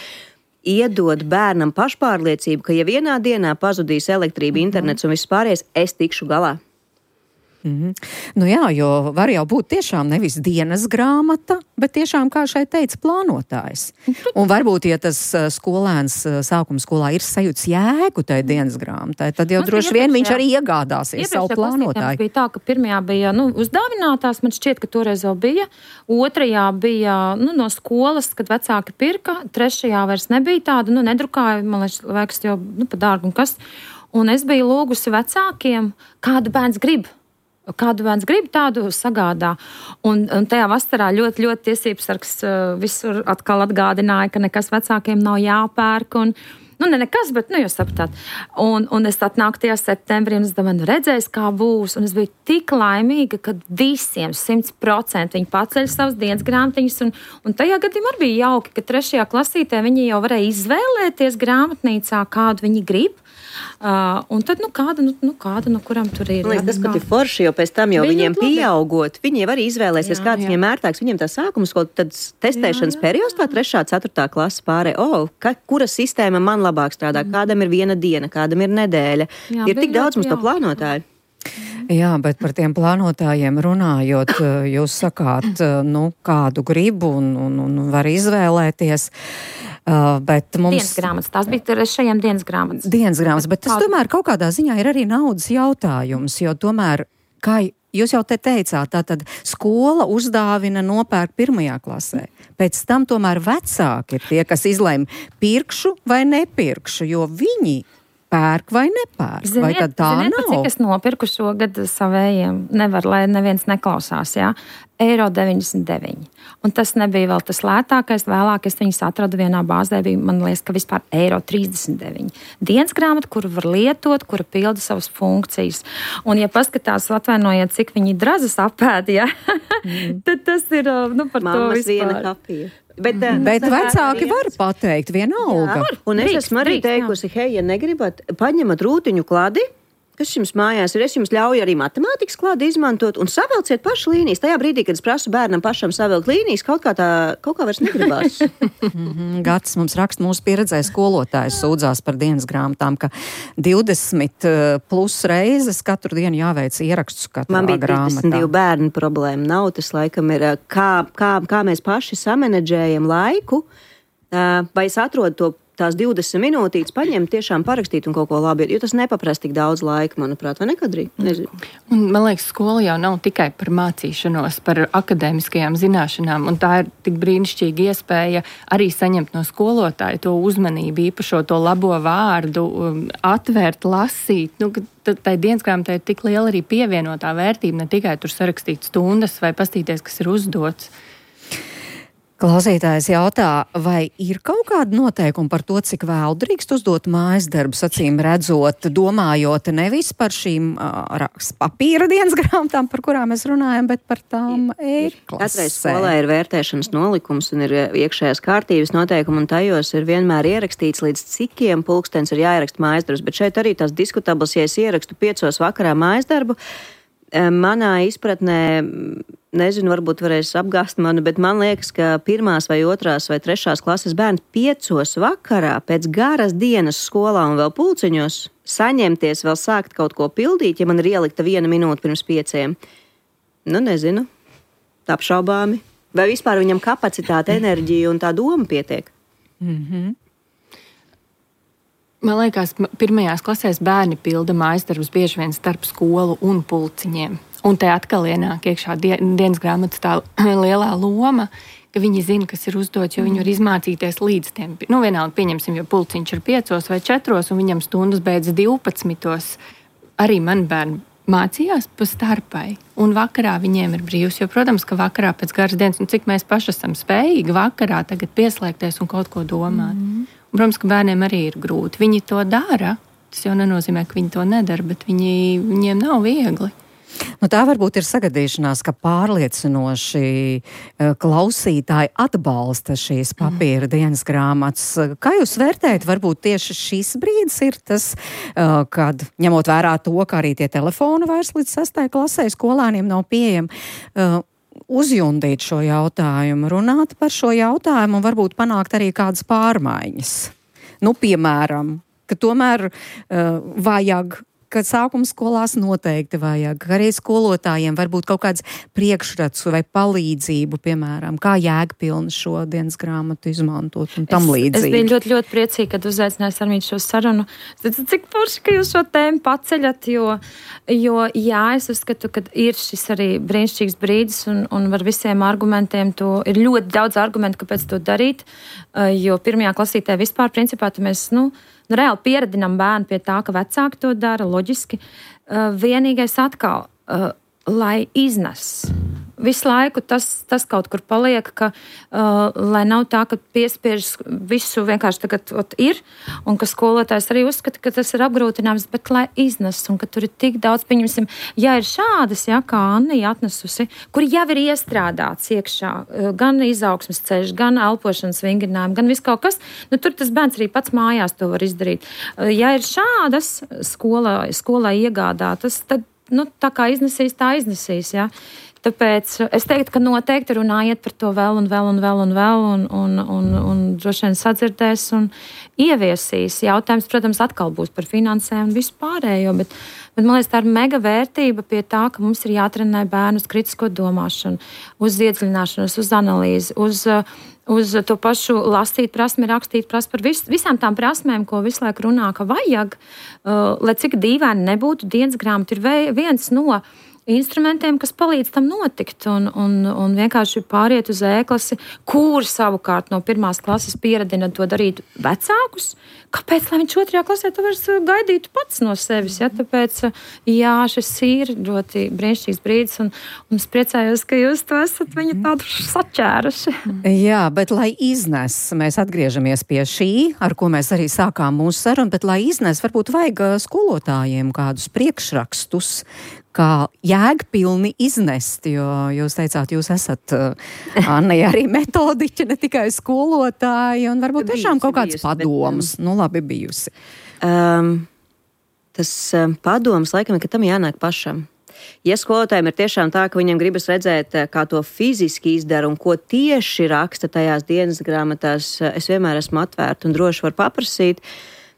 iedod bērnam pašpārliecību, ka ja vienā dienā pazudīs elektrība, internets un viss pārējais, es tikšu galā. Nu jā, jo var jau būt tiešām nevis dienas grāmata, bet tiešām, kā šeit teica, plānotājs. Un varbūt, ja tas skolēns sākuma skolā ir sajūts jēgu tai dienas grāmatai, tad jau droši vien viņš arī iegādāsies savu plānotāju. Bija tā, ka pirmajā bija uzdāvinātās, man šķiet, ka toreiz vēl bija. Otrajā bija no skolas, kad vecāki pirka. Trešajā vairs nebija tāda, nedrukāja, man liekas, jau pa dārgu un kas. Un es biju lūgusi vecākiem, kādu bērns grib. Kādu bērns grib, tādu sagādā. Un tajā vasarā ļoti, ļoti tiesības sargs visur atkal atgādināja, ka nekas vecākiem nav jāpērk. Un, ne nekas, bet, jūs sapratāt. Un es atnāku tajā septembrī, un es domāju, redzēs, kā būs. Un es biju tik laimīga, ka visiem 100% viņi paceļ savas dienas grāmatiņas. Un tajā gadījumā arī bija jauki, ka 3. klasītē viņi jau varēja izvēlēties grāmatnīcā, kādu viņi grib. Un tad, kāda, kuram tur ir. Tas pat ir forši, jo pēc tam jau viņiem pieaugot, viņi jau arī izvēlēsies, kāds viņiem ērtāks. Viņiem tā sākuma skola, tad testēšanas periods, tā 3., 4. klasa pārē. Kura sistēma man labāk strādā, kādam ir viena diena, kādam ir nedēļa. Ir tik daudz mums to plānotāju. Jā, bet par tiem plānotājiem runājot, jūs sakāt, kādu gribu un var izvēlēties. Bet mums... Dienas grāmatas, tās bija 3. dienas grāmatas. Dienas grāmatas, bet tas tomēr kaut kādā ziņā ir arī naudas jautājums, jo tomēr, kā jūs jau te teicāt, tātad skola uzdāvina nopērk 1. klasē. Pēc tam tomēr vecāki ir tie, kas izlēma pirkšu vai nepirkšu, jo viņi pērk vai nepērk. Vai tad tā nav? Cik es nopirku šogad savējiem, nevar, lai neviens neklausās, jā? €99. Un tas nebija vēl tas lētākais, vēlāk es viņus atradu vienā bāzē, bija, man liekas, ka vispār €39. Dienas grāmata, kuru var lietot, kura pilda savas funkcijas. Un ja paskatās, atvainojiet, cik viņi drazas apēd, ja? Tad tas ir, par Mammas to vispār. Viena kapija. Bet vecāki var pateikt vienalga. Un es esmu arī teikusi, hei, ja negribat, paņemat rūtiņu kladi, kas jums mājās ir, es jums ļauju arī matemātikas klādi izmantot un savelciet pašu līnijas. Tajā brīdī, kad es prasu bērnam pašam savilkt līnijas, kaut kā vairs negribās. Gads mums raksta mūsu pieredzē skolotājs sūdzās par dienas grāmatām, ka 20 plus reizes katru dienu jāveic ieraksts katrā grāmatā. Man bija 32 bērnu problēma. Nav tas laikam ir, kā mēs paši samanedžējam laiku, vai es atrodu tās 20 minūtītes paņemt, tiešām parakstīt un kaut ko labi, jo tas nepaprast tik daudz laika, manuprāt, vai nekadrī? Nezinu. Un, man liekas, skola jau nav tikai par mācīšanos, par akadēmiskajām zināšanām, un tā ir tik brīnišķīga iespēja arī saņemt no skolotāja to uzmanību, īpašo to labo vārdu, atvērt, lasīt. Tai dienas grāmatai ir tik liela arī pievienotā vērtība, ne tikai tur sarakstīt stundas vai pastīties, kas ir uzdots. Klausītājs jautā, vai ir kaut kāda noteikuma par to, cik vēl drīkst uzdot mājas darbus, acīm redzot, domājot nevis par šīm papīra dienas grāmatām, par kurām mēs runājam, bet par tām e-klasē. Katrai skolai ir vērtēšanas nolikums un ir iekšējās kārtības noteikumi, un tajos ir vienmēr ierakstīts, līdz cikiem pulkstens ir jāieraksta mājas darbus, bet šeit arī tās diskutabls, ja es ierakstu 5 vakarā mājas darbu, manā izpratnē, nezinu, varbūt varēs apgāst mani, bet man liekas, ka 1. vai 2. vai 3. klases bērns 5 vakarā pēc garas dienas skolā un vēl pulciņos saņemties, vēl sākt kaut ko pildīt, ja man ir ielikta 1 minūte pirms 5. Nezinu, apšaubāmi. Vai vispār viņam kapacitāte, enerģija un tā doma pietiek? Man liekas, 1. klasēs bērni pilda mājas darbus bieži vien starp skolu un pulciņiem. Un te atkal ienāk iekšā dienas grāmatas tā lielā loma, ka viņi zina, kas ir uzdots, jo viņi var izmācīties līdz tiem. Vienalga, pieņemsim, jo pulciņš ir 5 vai 4, un viņam stundas beidz 12. Arī man bērni mācījās pa starpai, un vakarā viņiem ir brīvs, jo, protams, ka vakarā pēc garas dienas, un cik mēs paši esam spējīgi vakarā tagad pieslēgties un kaut ko domāt. Un, protams, ka bērniem arī ir grūti. Viņi to dara, tas jau nenozīmē, ka viņi to nedara, bet viņiem nav viegli. Tā varbūt ir sagadīšanās, ka pārliecinoši klausītāji atbalsta šīs papīra dienas grāmatas. Kā jūs vērtējat, varbūt tieši šis brīdis ir tas, kad, ņemot vērā to, ka arī tie telefoni vairs līdz 6. klasē skolāniem nav pieejami, uzjundīt šo jautājumu, runāt par šo jautājumu un varbūt panākt arī kādas pārmaiņas. Nu, piemēram, ka tomēr vajag, ka sākuma skolās noteikti vajag, ka arī skolotājiem varbūt kaut kāds priekšrats vai palīdzību, piemēram, kā jēgpilni šo dienas grāmatu izmantot un tam līdzīgi. Es biju ļoti, ļoti priecīga, kad uzaicinājāt Sarmīti šo sarunu. Cik forši, ka jūs šo tēmu paceļat, jo jā, es uzskatu, ka ir šis arī brīnišķīgs brīdis un var visiem argumentiem to, ir ļoti daudz argumentu, kāpēc to darīt, jo pirmajā klasītē vispār principā mēs, reāli pieradinām bērnu pie tā, ka vecāki to dara, loģiski. Vienīgais atkal, lai iznes. Visu laiku tas kaut kur paliek, ka lai nav tā, ka piespiež visu vienkārši tagad ir, un ka skolotājs arī uzskata, ka tas ir apgrūtinājums, bet lai iznes, un ka tur ir tik daudz, pieņemsim, ja ir šādas, kā Annija atnesusi, kur jau ir iestrādāts iekšā, gan izaugsmes ceļš, gan elpošanas vingrinājumi, gan viss kaut kas, tur tas bērns arī pats mājās to var izdarīt. Ja ir šādas skolā iegādātas, tad, tā kā iznesīs, tā iznesīs, jā. Tāpēc es teiktu, ka noteikti runājiet par to vēl un droši vien sadzirdēs un ieviesīs. Jautājums, protams, atkal būs par finansēm un visu pārējo, bet man liekas, tā ir mega vērtība pie tā, ka mums ir jātrenē bērnu uz kritisko domāšanu, uz iedziļināšanos, uz analīzi, uz to pašu lasīt prasmi, rakstīt prasmi, par visām tām prasmēm, ko visu laiku runā, ka vajag, lai cik dīvaini nebūtu, dienas grāmata ir viens no instrumentiem, kas palīdz tam notikt un vienkārši pāriet uz E-klasi, kur savukārt no pirmās klases pieradina to darīt vecākus. Kāpēc, lai viņš 2. klasē to vairs gaidītu pats no sevis? Ja? Tāpēc, šis ir ļoti brīnišķīgs brīdis un es priecājos, ka jūs to esat viņu tādu saķēruši. Jā, bet lai iznes, mēs atgriežamies pie šī, ar ko mēs arī sākām mūsu sarunu, bet lai iznes, varbūt vajag skolotājiem kādus priekšrakstus, kā jēgpilni iznest, jo jūs teicāt, jūs esat, Anna, arī metodiķi, ne tikai skolotāji, un varbūt tiešām kaut kāds padoms, labi bijusi. Tas padoms, laikam, ka tam jānāk pašam. Ja skolotājiem ir tiešām tā, ka viņam gribas redzēt, kā to fiziski izdara un ko tieši raksta tajās dienas grāmatās, es vienmēr esmu atvērta un droši varu paprasīt.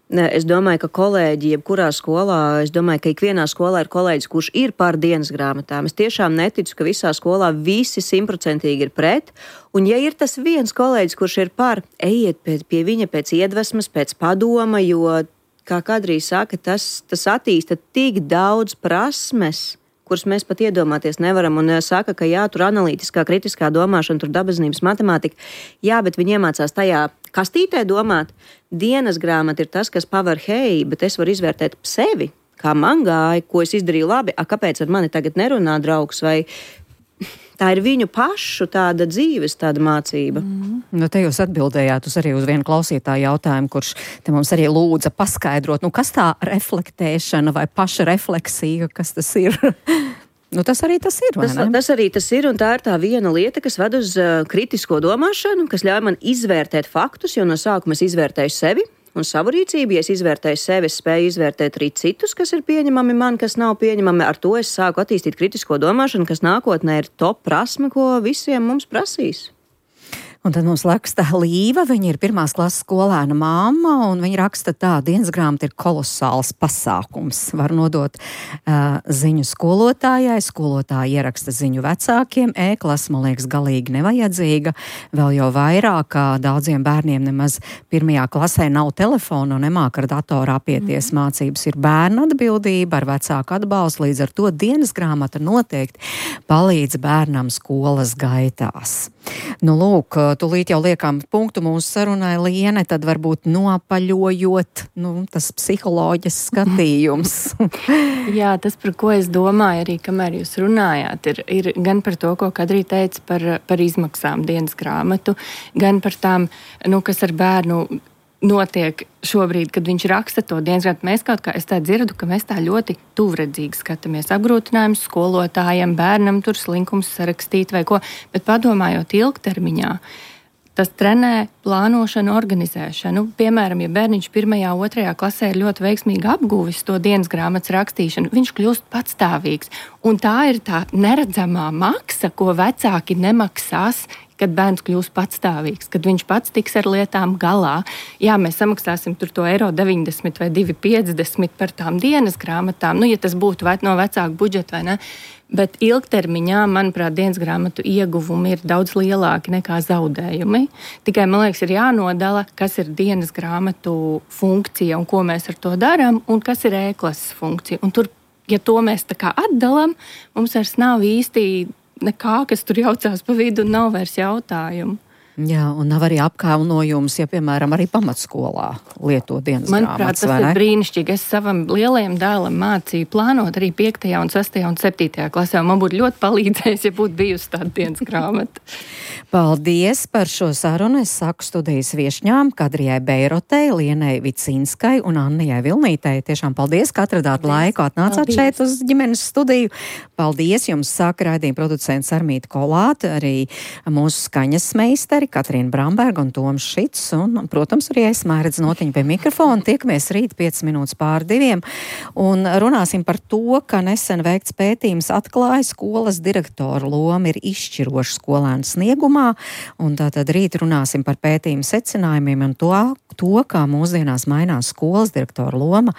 Es domāju, ka kolēģi, jebkurā skolā, es domāju, ka ikvienā skolā ir kolēģis, kurš ir par dienas grāmatām. Es tiešām neticu, ka visā skolā visi 100% ir pret. Un ja ir tas viens kolēģis, kurš ir par, ejiet pie viņa pēc iedvesmas, pēc padoma, jo, kā Kadrija saka, tas attīsta tik daudz prasmes, kuras mēs pat iedomāties nevaram, un saka, ka jā, tur analītiskā, kritiskā domāšana, tur dabazinības matemātika, jā, bet viņi iemācās tajā kastītē domāt. Dienas grāmata ir tas, kas paver, hei, bet es varu izvērtēt sevi, kā man gāja, ko es izdarīju labi, kāpēc ar mani tagad nerunā draugs, vai tā ir viņu pašu tāda dzīves, tāda mācība. Te jūs atbildējāt arī uz vienu klausītāju jautājumu, kurš te mums arī lūdza paskaidrot, kas tā reflektēšana vai paša refleksija, kas tas ir? Tas arī tas ir, vai ne? Tas arī tas ir, un tā ir tā viena lieta, kas ved uz kritisko domāšanu, kas ļauj man izvērtēt faktus, jo no sākuma es izvērtēju sevi un savu rīcību. Ja es izvērtēju sevi, es spēju izvērtēt arī citus, kas ir pieņemami man, kas nav pieņemami. Ar to es sāku attīstīt kritisko domāšanu, kas nākotnē ir top prasme, ko visiem mums prasīs. Un tad mums raksta Līva, viņa ir 1. klases skolēna māma, un viņa raksta tā, dienas grāmata ir kolosāls pasākums. Var nodot ziņu skolotājai, skolotāji ieraksta ziņu vecākiem, E-klasa, man liekas, galīgi nevajadzīga. Vēl jau vairāk, kā daudziem bērniem nemaz 1. klasē nav telefona un nemāk ar datoru apieties. Mācības ir bērna atbildība ar vecāku atbalstu, līdz ar to dienas grāmata noteikti palīdz bērnam skolas gaitās. Lūk, tūlīt jau liekam punktu mūsu sarunai, Liene, tad varbūt nopaļojot, tas psiholoģijas skatījums. Jā, tas, par ko es domāju arī, kamēr jūs runājāt, ir gan par to, ko Kadrija teica par izmaksām dienas grāmatu, gan par tām, kas ar bērnu notiek šobrīd, kad viņš raksta to dienas grāmatu. Mēs kaut kā, es tā dzirdu, ka mēs tā ļoti tuvredzīgi skatāmies apgrūtinājumus skolotājiem, bērnam tur slinkums sarakstīt vai ko, bet padomājot ilgtermiņā, Tas trenē plānošanu, organizēšanu. Piemēram, ja bērniņš 1., 2. klasē ir ļoti veiksmīgi apguvis to dienas grāmatas rakstīšanu, viņš kļūst patstāvīgs. Un tā ir tā neredzamā maksa, ko vecāki nemaksās, kad bērns kļūs patstāvīgs, kad viņš pats tiks ar lietām galā. Jā, mēs samaksāsim tur to €90 vai €2,50 par tām dienas grāmatām, ja tas būtu no vecāku budžeta vai ne. Bet ilgtermiņā, manuprāt, dienas grāmatu ieguvumi ir daudz lielāki nekā zaudējumi. Tikai, man liekas, ir jānodala, kas ir dienas grāmatu funkcija un ko mēs ar to darām, un kas ir e-klases funkcija. Un tur, ja to mēs tā kā atdalam, mums vairs nav īsti nekā, kas tur jaucās pa vidu, un nav vairs jautājumu. Jā, un nav arī apkaunojums, ja, piemēram, arī pamatskolā lieto dienas grāmatas, manuprāt, tas ir brīnišķīgi. Es savam lielajam dēlam mācīju plānot arī 5., 6. un 7. klasē, un man būtu ļoti palīdzējis, ja būtu bijusi tāda dienas grāmata. Paldies par šo sarunu. Es saku studijas viešņām Kadrijai Beirotei, Lienai Vicinskai un Annijai Vilnītei. Tiešām paldies, ka atradāt laiku, atnācāt šeit uz ģimenes studiju. Paldies jums, saka raidījuma producents Armīta Kolāte, arī mūsu skaņas meisteri Katrīna Bramberga un Toms Šits, un, protams, arī es Mairedz Notiņa pie mikrofona. Tiekamies rīt 5 minūtes pār 2, un runāsim par to, ka nesen veikts pētījums atklāja skolas direktora loma ir izšķiroša skolēnu sniegumā, un tātad rīt runāsim par pētījumu secinājumiem un to, kā mūsdienās mainās skolas direktora loma.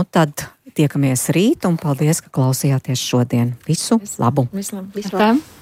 Tad tiekamies rīt, un paldies, ka klausījāties šodien. Visu labu! Visu labu!